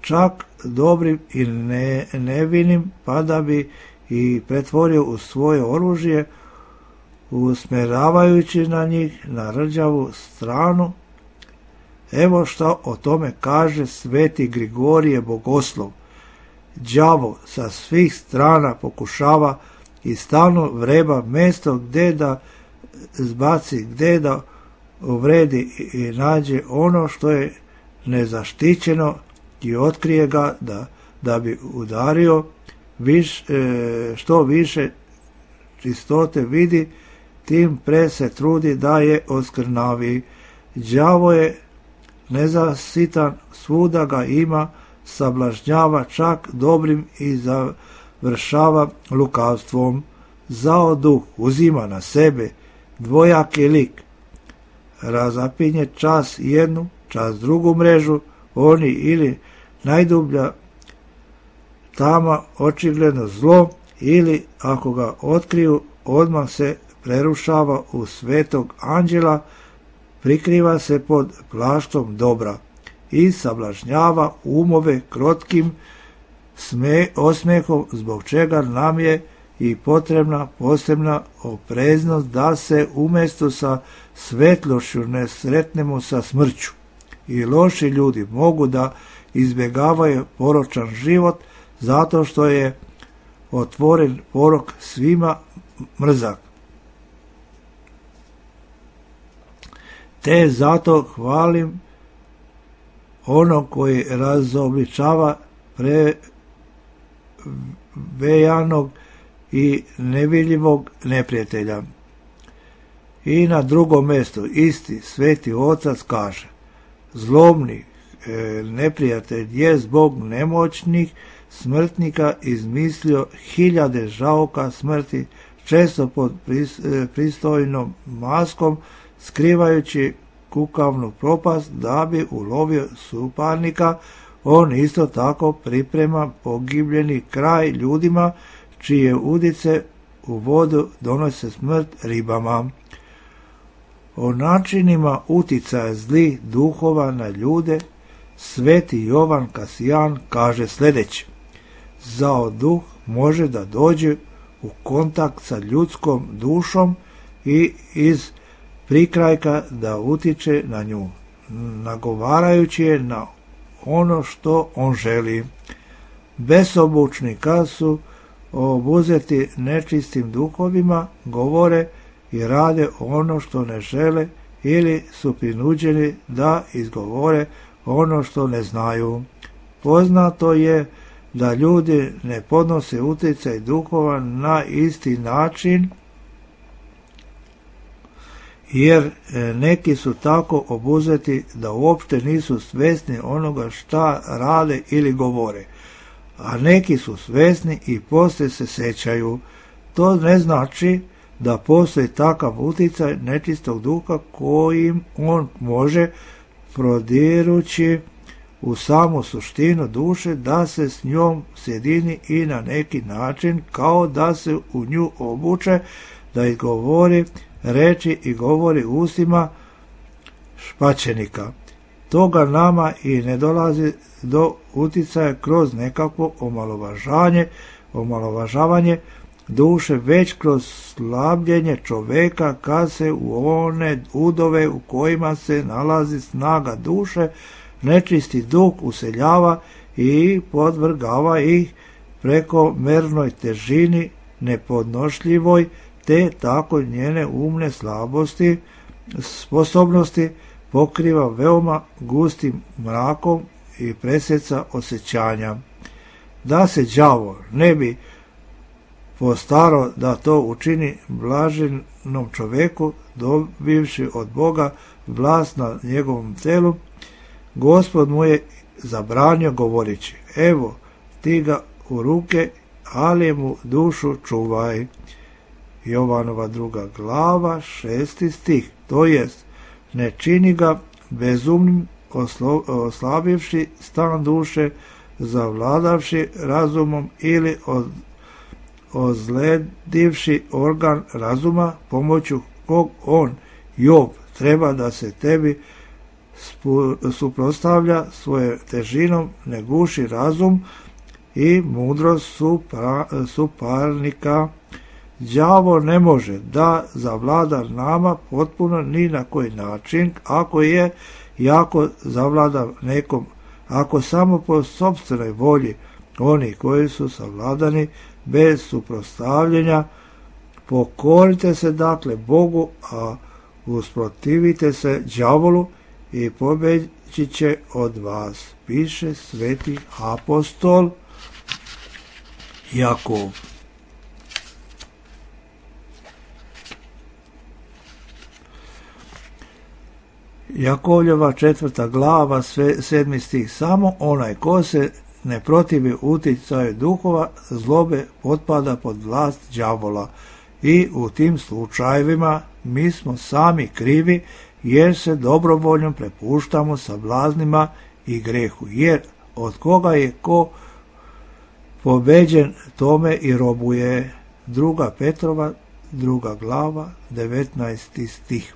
čak dobrim i ne, nevinim, pa da bi i pretvorio u svoje oružje, usmjeravajući na njih na rđavu stranu. Evo što o tome kaže sveti Grigorije Bogoslov. Đavo sa svih strana pokušava i stalno vreba mjesto gdje da zbaci, gdje da uvredi i nađe ono što je nezaštićeno i otkrije ga da, da bi udario viš, e, što više čistote vidi, tim pre se trudi da je oskrnavi. Đavo je nezasitan, svuda ga ima, sablažnjava čak dobrim i završava lukavstvom. Zao duh uzima na sebe dvojaki lik, razapinje čas jednu, čas drugu mrežu, oni ili najdublja tama očigledno zlo, ili ako ga otkriju odmah se prerušava u svetog anđela, prikriva se pod plaštom dobra i sablažnjava umove krotkim sme, osmehom, zbog čega nam je i potrebna posebna opreznost da se umjesto sa svetlošću ne sretnemo sa smrću. I loši ljudi mogu da izbjegavaju poročan život zato što je otvoren porok svima mrzak. Te zato hvalim onog koji razobličava prevejanog i nevidljivog neprijatelja. I na drugom mjestu isti sveti otac kaže: zlobni e, neprijatelj je zbog nemoćnih smrtnika izmislio hiljade žauka smrti, često pod pris, e, pristojnom maskom, skrivajući kukavnu propast da bi ulovio suparnika. On isto tako priprema pogibljeni kraj ljudima čije udice u vodu donose smrt ribama. O načinima uticaja zlih duhova na ljude sveti Jovan Kasijan kaže sljedeće: zao duh može da dođe u kontakt sa ljudskom dušom i iz prikrajka da utiče na nju, nagovarajući je na ono što on želi. Besobučni kad su obuzeti nečistim duhovima, govore i rade ono što ne žele ili su prinuđeni da izgovore ono što ne znaju. Poznato je da ljudi ne podnose utjecaj duhova na isti način, jer neki su tako obuzeti da uopšte nisu svjesni onoga šta rade ili govore, a neki su svjesni i poslije se sećaju. To ne znači da postoji takav utjecaj nečistog duha kojim on može, prodirući u samu suštinu duše, da se s njom sjedini i na neki način, kao da se u nju obuče, da izgovori reči i govori ustima špačenika. Toga nama i ne dolazi do uticaja kroz nekakvo omalovažanje, omalovažavanje duše, već kroz slabljenje čoveka kad se u one udove u kojima se nalazi snaga duše nečisti duh useljava i podvrgava ih preko mernoj težini nepodnošljivoj, te tako njene umne slabosti, sposobnosti pokriva veoma gustim mrakom i presjeca osjećanja. Da se đavo ne bi postaro da to učini blaženom čoveku, dobivši od Boga vlast nad njegovom telu, Gospod mu je zabranio govoreći: evo ti ga u ruke, ali mu dušu čuvaj. Jovanova druga glava, šesti stih, to jest, ne čini ga bezumnim, oslo, oslabivši stan duše, zavladavši razumom ili od, ozledivši organ razuma, pomoću kog on, Job, treba da se tebi spu, suprotstavlja svoje težinom, ne guši razum i mudrost supra, suparnika. Đavo ne može da zavlada nama potpuno ni na koji način, ako je jako zavlada nekom, ako samo po sopstvenoj volji oni koji su savladani bez suprotstavljenja. Pokorite se dakle Bogu, a usprotivite se đavolu i pobeći će od vas, piše sveti apostol Jakov. Jakovljeva četvrta glava, sedmi stih, samo onaj ko se ne protivi uticaju duhova zlobe potpada pod vlast đavola i u tim slučajevima mi smo sami krivi jer se dobrovoljno prepuštamo sablaznima i grehu, jer od koga je ko pobeđen tome i robuje. Druga Petrova, druga glava, devetnaesti stih.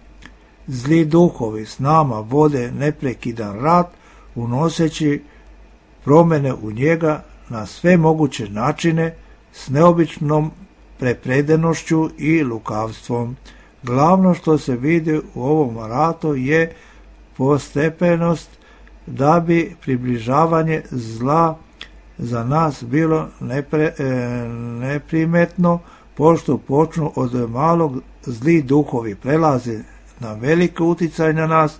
Zli duhovi s nama vode neprekidan rat, unoseći promjene u njega na sve moguće načine s neobičnom prepredenošću i lukavstvom. Glavno što se vidi u ovom ratu je postepenost, da bi približavanje zla za nas bilo nepre, e, neprimetno, pošto počnu od malog zli duhovi prelaze na veliki uticaj na nas,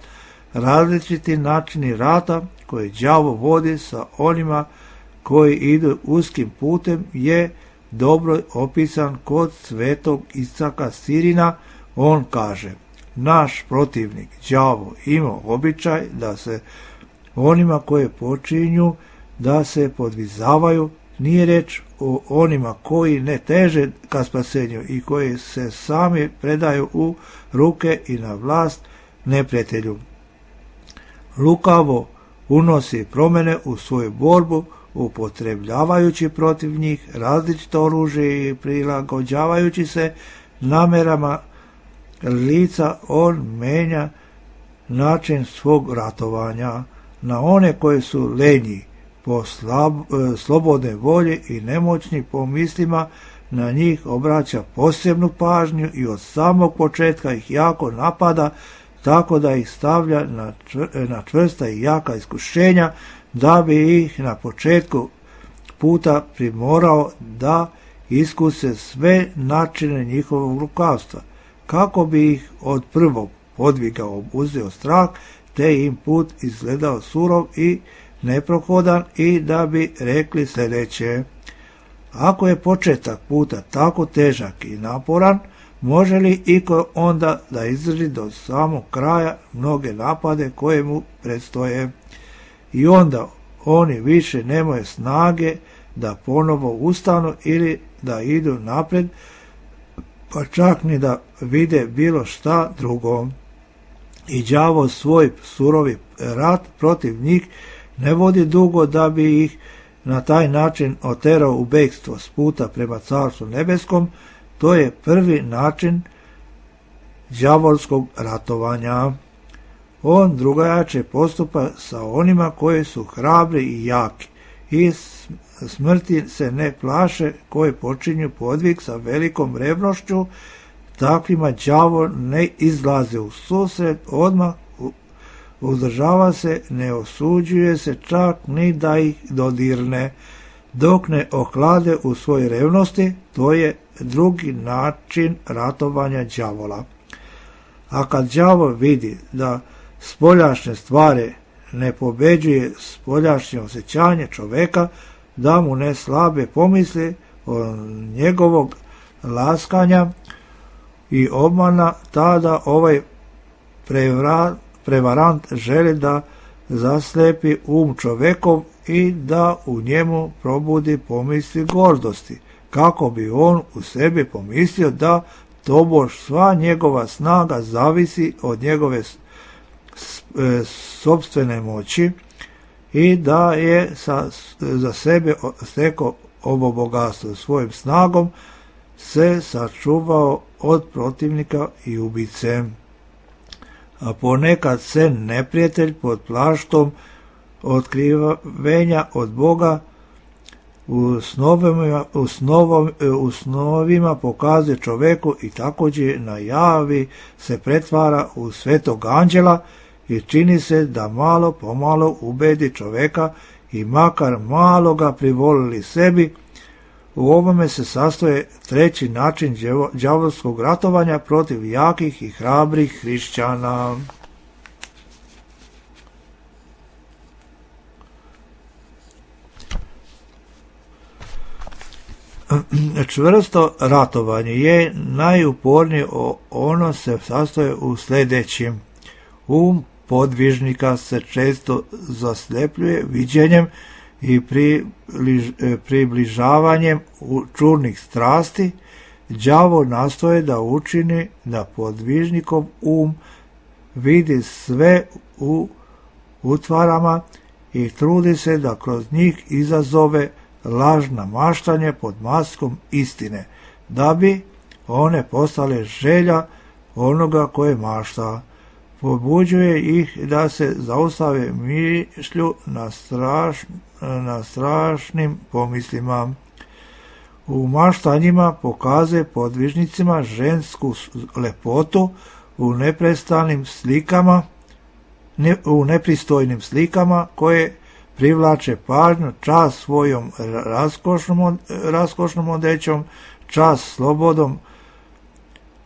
različiti načini rata koje đavo vodi sa onima koji idu uskim putem je dobro opisan kod svetog Isaka Sirina. On kaže: naš protivnik đavo ima običaj da se onima koje počinju da se podvizavaju, nije reč o onima koji ne teže ka spasenju i koji se sami predaju u ruke i na vlast neprijatelju. Lukavo unosi promjene u svoju borbu, upotrebljavajući protiv njih različito oružje i prilagođavajući se namerama lica. On menja način svog ratovanja na one koji su lenji po slab, slobodne volje i nemoćni po mislima. Na njih obraća posebnu pažnju i od samog početka ih jako napada, tako da ih stavlja na, čvr, na čvrsta i jaka iskušenja, da bi ih na početku puta primorao da iskuse sve načine njihovog lukavstva, kako bi ih od prvog podviga obuzeo strah, te im put izgledao surov i neprohodan, i da bi rekli sljedeće: ako je početak puta tako težak i naporan, može li iko onda da izdrži do samog kraja mnoge napade koje mu predstoje? I onda oni više nemaju snage da ponovo ustanu ili da idu napred, pa čak ni da vide bilo šta drugo. I đavo svoj surovi rat protiv njih ne vodi dugo, da bi ih na taj način oterao u bekstvo s puta prema Carstvu nebeskom. To je prvi način đavolskog ratovanja. On drugačije postupa sa onima koji su hrabri i jaki i smrti se ne plaše, koji počinju podvig sa velikom revnošću. Takvima đavo ne izlaze u susret odmah, uzdržava se, ne osuđuje se čak ni da ih dodirne. dok ne ohlade u svojoj revnosti, to je drugi način ratovanja đavola. A kad đavo vidi da spoljašnje stvari ne pobeđuje spoljašnje osjećanje čoveka, da mu ne slabe pomisli o njegovog laskanja i obmana, tada ovaj prevra, prevarant želi da zaslepi um čovekov i da u njemu probudi pomisli gordosti, kako bi on u sebi pomislio da tobož sva njegova snaga zavisi od njegove sopstvene moći i da je sa, za sebe stekao ovo bogatstvo. Svojim snagom se sačuvao od protivnika i ubice. A ponekad se neprijatelj pod plaštom otkrivenja od Boga u snovima, u snovom, u snovima pokazuje čoveku i također najavi se pretvara u svetog anđela i čini se da malo pomalo ubedi čoveka i makar malo ga privolili sebi. U ovome se sastoje treći način đavolskog ratovanja protiv jakih i hrabrih hrišćana. Čvrsto ratovanje je najupornije, ono se sastoje u sljedećim. Um podvižnika se često zaslepljuje viđenjem i približ, približavanjem čurnih strasti. Đavo nastoje da učini da podvižnikov um vidi sve u utvarama i trudi se da kroz njih izazove lažna maštanje pod maskom istine, da bi one postale želja onoga koje mašta. Pobuđuje ih da se zaustave mišlju na, straš, na strašnim pomislima. U maštanjima pokazuje podvižnicima žensku lepotu u neprestanim slikama, ne, u nepristojnim slikama koje privlače pažnju, čas svojom raskošnom, raskošnom odećom, čas slobodom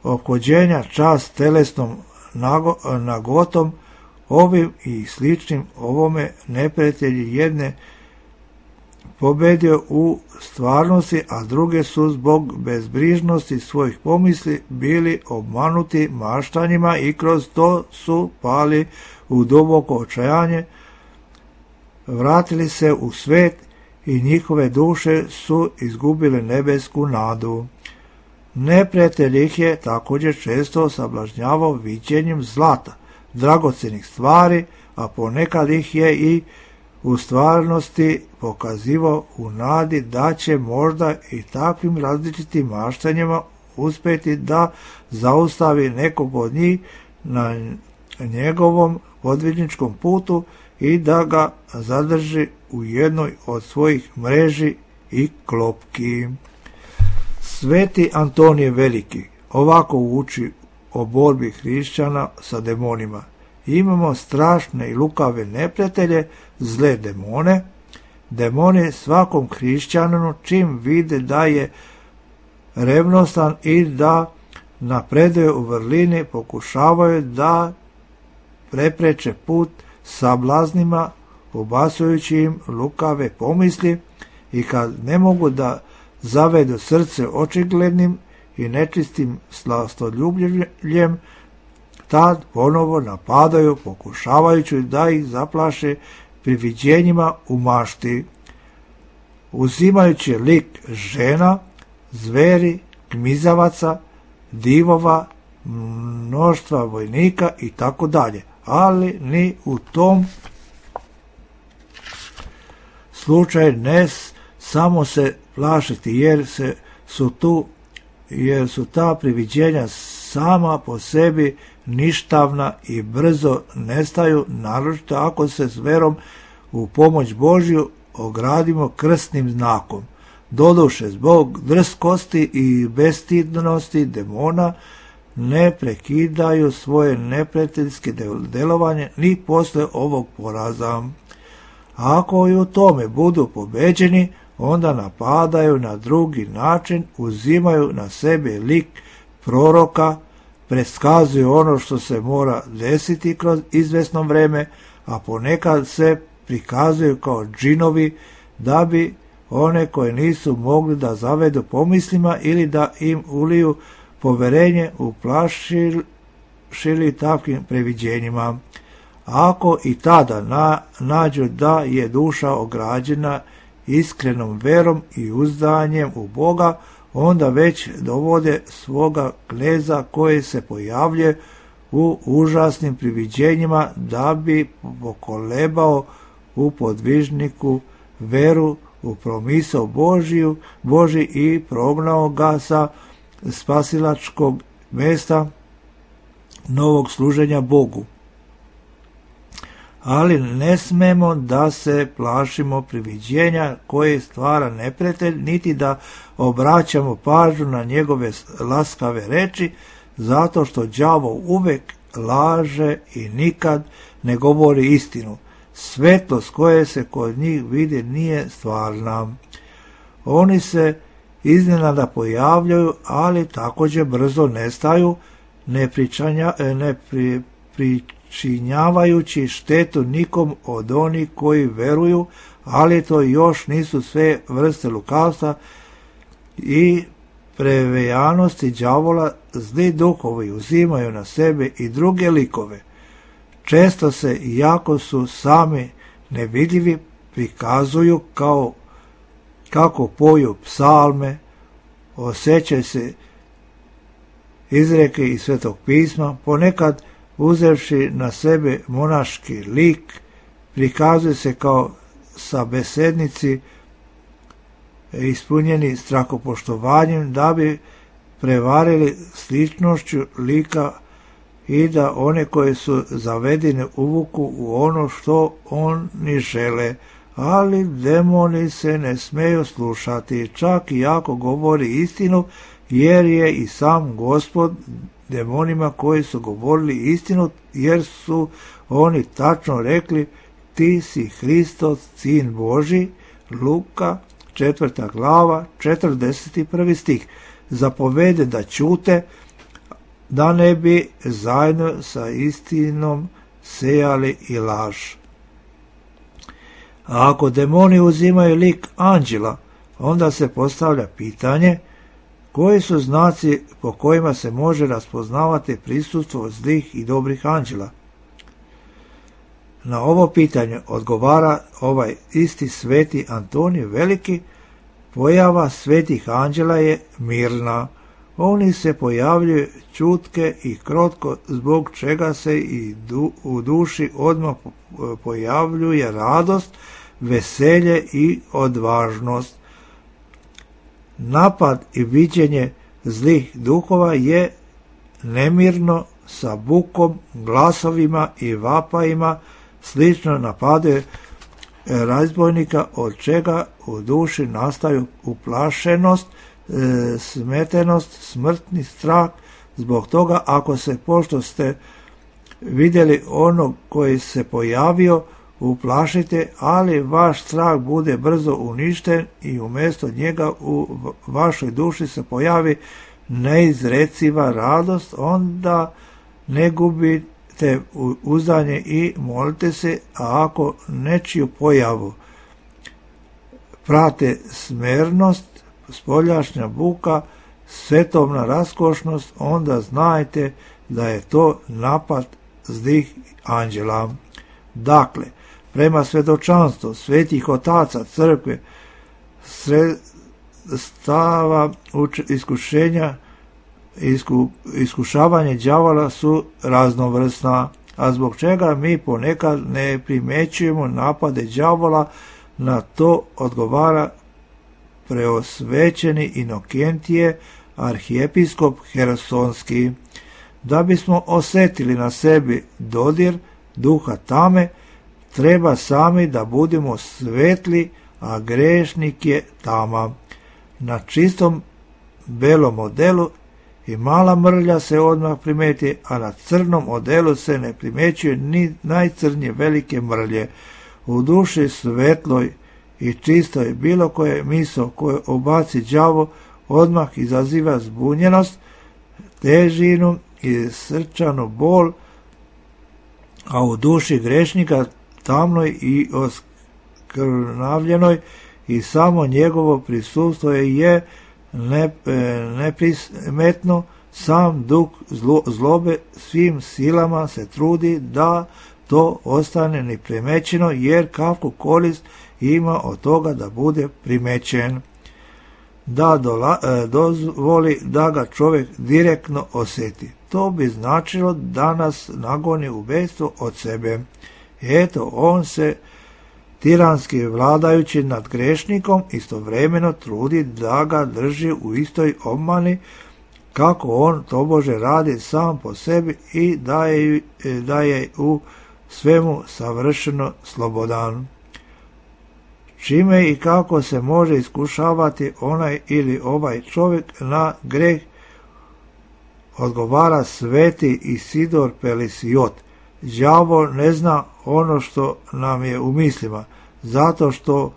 ophođenja, čas telesnom nago, nagotom. Ovim i sličnim ovome neprijatelji jedne pobedio u stvarnosti, a druge su zbog bezbrižnosti svojih pomisli bili obmanuti maštanjima i kroz to su pali u duboko očajanje, vratili se u svet i njihove duše su izgubile nebesku nadu. Neprijatelj ih je također često sablažnjavao viđenjem zlata, dragocenih stvari, a ponekad ih je i u stvarnosti pokazivao u nadi da će možda i takvim različitim maštanjima uspjeti da zaustavi nekog od njih na njegovom podvižničkom putu i da ga zadrži u jednoj od svojih mreži i klopki. Sveti Antonije Veliki ovako uči o borbi hrišćana sa demonima. Imamo strašne i lukave neprijatelje, zle demone. Demoni svakom hrišćaninu čim vide da je revnostan i da napreduje u vrlini, pokušavaju da prepreče put sablaznima, ubacujući im lukave pomisli, i kad ne mogu da zavedu srce očiglednim i nečistim slastoljubljem, tad ponovo napadaju, pokušavajući da ih zaplaše priviđenjima u mašti, uzimajući lik žena, zveri, gmizavaca, divova, mnoštva vojnika i tako dalje. Ali ni u tom slučaju ne samo se plašiti, jer se su tu jer su ta priviđenja sama po sebi ništavna i brzo nestaju, naročito ako se s verom u pomoć Božju ogradimo krstnim znakom. Doduše, zbog drskosti i bestidnosti demona ne prekidaju svoje neprijateljske delovanje ni posle ovog poraza. Ako i u tome budu pobeđeni, onda napadaju na drugi način, uzimaju na sebe lik proroka, preskazuju ono što se mora desiti kroz izvesno vreme, a ponekad se prikazuju kao džinovi da bi one koje nisu mogli da zavedu pomislima ili da im uliju poverenje uplašili takvim previđenjima. Ako i tada na, nađu da je duša ograđena iskrenom verom i uzdanjem u Boga, onda već dovode svoga kneza koji se pojavljuje u užasnim priviđenjima da bi pokolebao u podvižniku veru u promisao Božiju, Boži i prognao ga sa spasilačkog mjesta novog služenja Bogu. Ali ne smemo da se plašimo priviđenja koje stvara neprijatelj, niti da obraćamo pažnju na njegove laskave reči, zato što đavo uvek laže i nikad ne govori istinu. Svetlost koje se kod njih vidi nije stvarna. Oni se iznenada pojavljaju, ali također brzo nestaju, ne, pričanja, ne pri, pričinjavajući štetu nikom od onih koji veruju, ali to još nisu sve vrste lukavstva i prevejanosti đavola. Zli duhovi uzimaju na sebe i druge likove. Često se, iako su sami nevidljivi, prikazuju kao kako poju psalme, osjećaju se izreke iz Svetog pisma, ponekad uzevši na sebe monaški lik, prikazuju se kao sabesednici ispunjeni strahopoštovanjem da bi prevarili sličnošću lika i da one koje su zavedene uvuku u ono što oni žele, ali demoni se ne smeju slušati, čak i ako govori istinu, jer je i sam Gospod demonima koji su govorili istinu, jer su oni tačno rekli: ti si Hristos, sin Boži. Luka četvrta glava, četrdeset prvi stih. Zapovede da ćute, da ne bi zajedno sa istinom sejali i laž. A ako demoni uzimaju lik anđela, onda se postavlja pitanje: koji su znaci po kojima se može raspoznavati prisustvo zlih i dobrih anđela? Na ovo pitanje odgovara ovaj isti sveti Antonij Veliki: pojava svetih anđela je mirna. Oni se pojavljuju čutke i krotko, zbog čega se i du, u duši odmah pojavljuje radost, veselje i odvažnost. Napad i viđenje zlih duhova je nemirno, sa bukom, glasovima i vapajima, slično napade razbojnika, od čega u duši nastaju uplašenost, e, smetenost, smrtni strah. Zbog toga, ako se, pošto ste vidjeli onog koji se pojavio, uplašite, ali vaš strah bude brzo uništen i umjesto njega u vašoj duši se pojavi neizreciva radost, onda ne gubite uzdanje i molite se. A ako nečiju pojavu prate smernost, spoljašnja buka, svetovna raskošnost, onda znajte da je to napad zlih anđela. Dakle, prema svjedočanstvu svetih otaca crkve, sredstava iskušenja, isku, iskušavanje đavola su raznovrsna, a zbog čega mi ponekad ne primjećujemo napade đavola, na to odgovara preosvećeni Inokentije, arhijepiskop Hersonski. Da bismo osjetili na sebi dodir duha tame, treba sami da budemo svetli, a grešnik je tama. Na čistom belom odelu i mala mrlja se odmah primeti, a na crnom odelu se ne primjećuje ni najcrnje velike mrlje. U duši svetloj i čisto je bilo koje miso koje obaci đavo odmah izaziva zbunjenost, težinu i srčanu bol, a u duši grešnika tamnoj i oskrnavljenoj i samo njegovo prisustvo je ne, neprismetno. Sam duh zlo, zlobe svim silama se trudi da to ostane neprimećeno, jer kakvu korist ima od toga da bude primećen, da dola, e, dozvoli da ga čovjek direktno osjeti. To bi značilo da nas nagoni u bejstvo od sebe. Eto, on se tiranski vladajući nad grešnikom istovremeno trudi da ga drži u istoj obmani kako on tobože radi sam po sebi i da je, da je u svemu savršeno slobodan. Čime i kako se može iskušavati onaj ili ovaj čovjek na greh, odgovara sveti Isidor Pelisiot. Đavo ne zna ono što nam je u mislima, zato što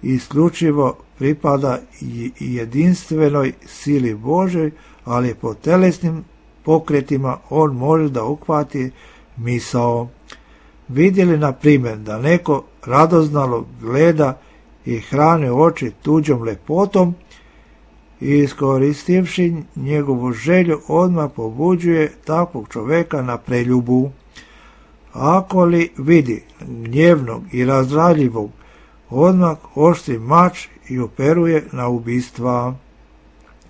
isključivo pripada jedinstvenoj sili Božoj, ali po telesnim pokretima on može da uhvati misao. Vidjeli na primjer da neko radoznalo gleda i hrani oči tuđom lepotom i iskoristivši njegovu želju odmah pobuđuje takvog čovjeka na preljubu. Ako li vidi gnjevnog i razdraljivog, odmah oštri mač i operuje na ubistva.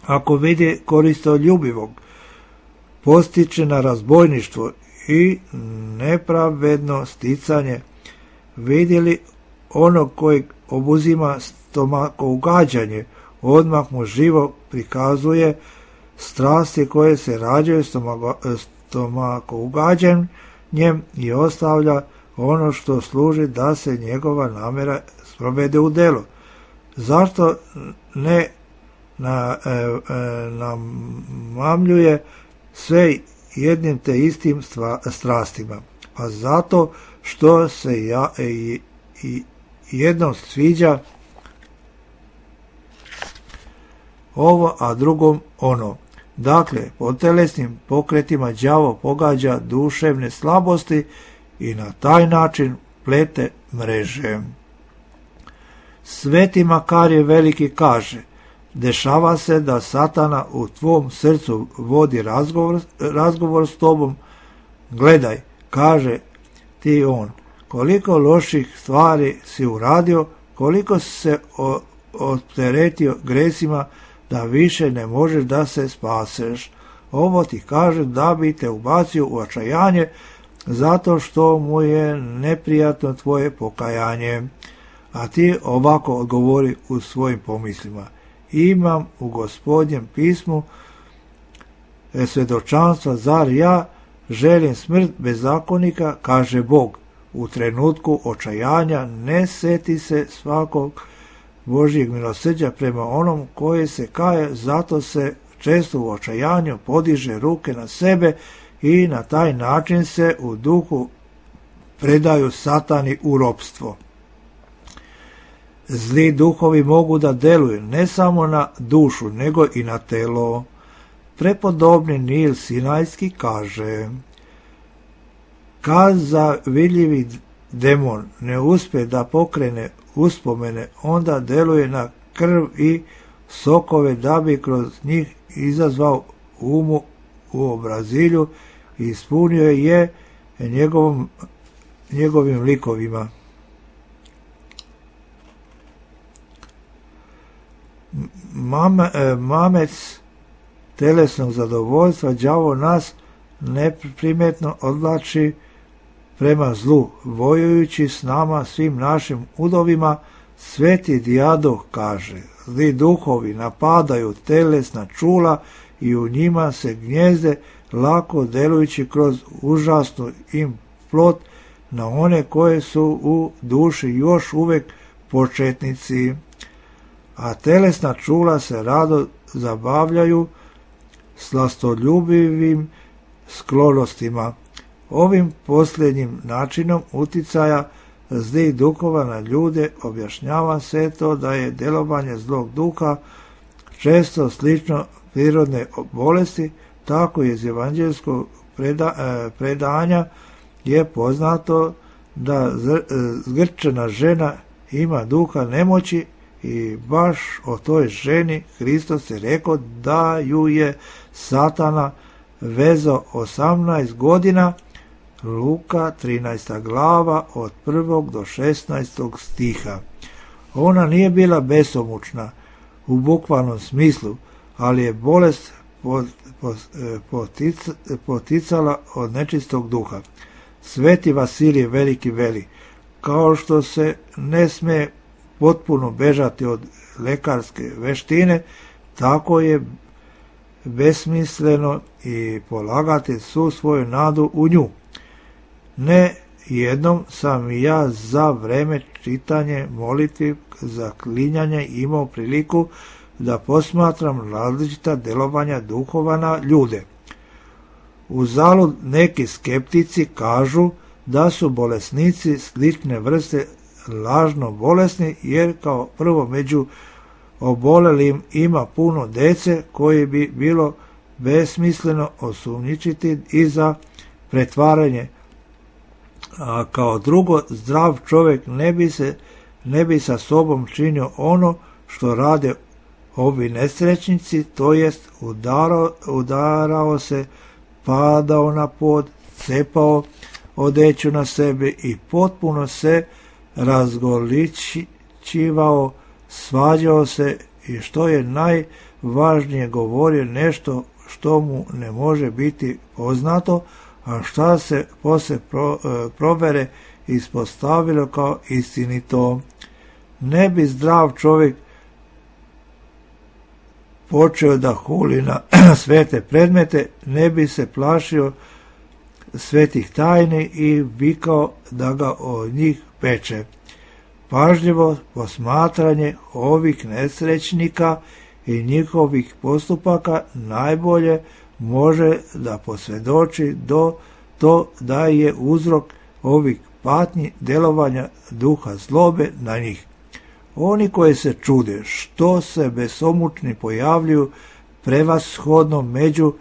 Ako vidi koristoljubivog, postiče na razbojništvo i nepravedno sticanje. Vidjeli onog kojeg obuzima stomakougađanje, odmah mu živo prikazuje strasti koje se rađaju stomakougađanjem i ostavlja ono što služi da se njegova namjera sprovede u delo. Zašto ne na, e, e, namamljuje sve jednim te istim stva, strastima? Pa zato što se ja, e, i, jednom sviđa ovo, a drugom ono. Dakle, po telesnim pokretima đavo pogađa duševne slabosti i na taj način plete mreže. Sveti Makarije Veliki kaže: dešava se da Satana u tvom srcu vodi razgovor, razgovor s tobom. Gledaj, kaže ti on, koliko loših stvari si uradio, koliko si se opteretio gresima, da više ne možeš da se spaseš. Ovo ti kaže da bi te ubacio u očajanje, zato što mu je neprijatno tvoje pokajanje. A ti ovako odgovori u svojim pomislima: imam u Gospodnjem pismu svjedočanstva, zar ja želim smrt bezakonika, kaže Bog. U trenutku očajanja ne seti se svakog Božjeg milosrđa prema onom koji se kaje, zato se često u očajanju podiže ruke na sebe i na taj način se u duhu predaju Satani u ropstvo. Zli duhovi mogu da deluju ne samo na dušu, nego i na telo. Prepodobni Nil Sinajski kaže: kad zavidljivi demon ne uspe da pokrene uspomene, onda deluje na krv i sokove da bi kroz njih izazvao umu u obrazilju i ispunio je njegovom, njegovim likovima. Mame, mamec telesnog zadovoljstva đavo nas neprimetno odvlači prema zlu, vojujući s nama svim našim udovima. Sveti Dijadoh kaže: zli duhovi napadaju telesna čula i u njima se gnjezde, lako delujući kroz užasnu im plot na one koje su u duši još uvijek početnici. A telesna čula se rado zabavljaju slastoljubivim sklonostima. Ovim posljednjim načinom uticaja zlih duhova na ljude, objašnjava se to da je djelovanje zlog duha često slično prirodne bolesti. Tako iz evanđeljskog preda, predanja je poznato da zgrčena žena ima duha nemoći i baš o toj ženi Hristos je rekao da ju je Satana vezao osamnaest godina, Luka trinaesta glava od prvog do šesnaestog stiha. Ona nije bila besomučna u bukvalnom smislu, ali je bolest poticala od nečistog duha. Sveti Vasilij Veliki veli, kao što se ne sme potpuno bežati od lekarske veštine, tako je besmisleno i polagati svu svoju nadu u nju. Ne jednom sam i ja za vreme čitanje molitvi za klinjanje imao priliku da posmatram različita delovanja duhova na ljude. Uzalud neki skeptici kažu da su bolesnici slične vrste lažno bolesni, jer kao prvo među obolelim ima puno dece koji bi bilo besmisleno osumnjičiti i za pretvaranje, a kao drugo zdrav čovjek ne bi, se, ne bi sa sobom činio ono što rade ovi nesrećnici, to jest udarao, udarao se, padao na pod, cepao odeću na sebe i potpuno se razgoličivao, svađao se i što je najvažnije govorio nešto što mu ne može biti poznato, a šta se poslije pro, provere ispostavilo kao istinito. Ne bi zdrav čovjek počeo da huli na svete predmete, ne bi se plašio svetih tajni i vikao da ga od njih peče. Pažljivo posmatranje ovih nesrećnika i njihovih postupaka najbolje može da posvjedoči do to da je uzrok ovih patnji delovanja duha zlobe na njih. Oni koji se čude što se besomučni pojavljuju prevashodno među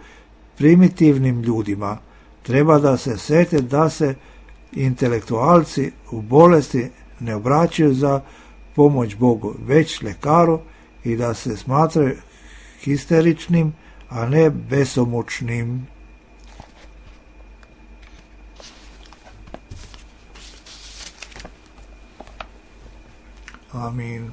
primitivnim ljudima, treba da se sete da se intelektualci u bolesti ne obraćaju za pomoć Bogu, već lekaru, i da se smatraju histeričnim, a ne besomučnim. Amin.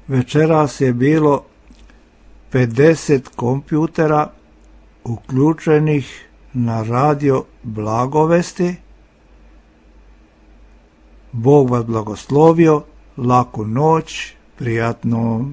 Večeras je bilo pedeset kompjutera uključenih na radio Blagovesti. Bog vas blagoslovio, laku noć, prijatno.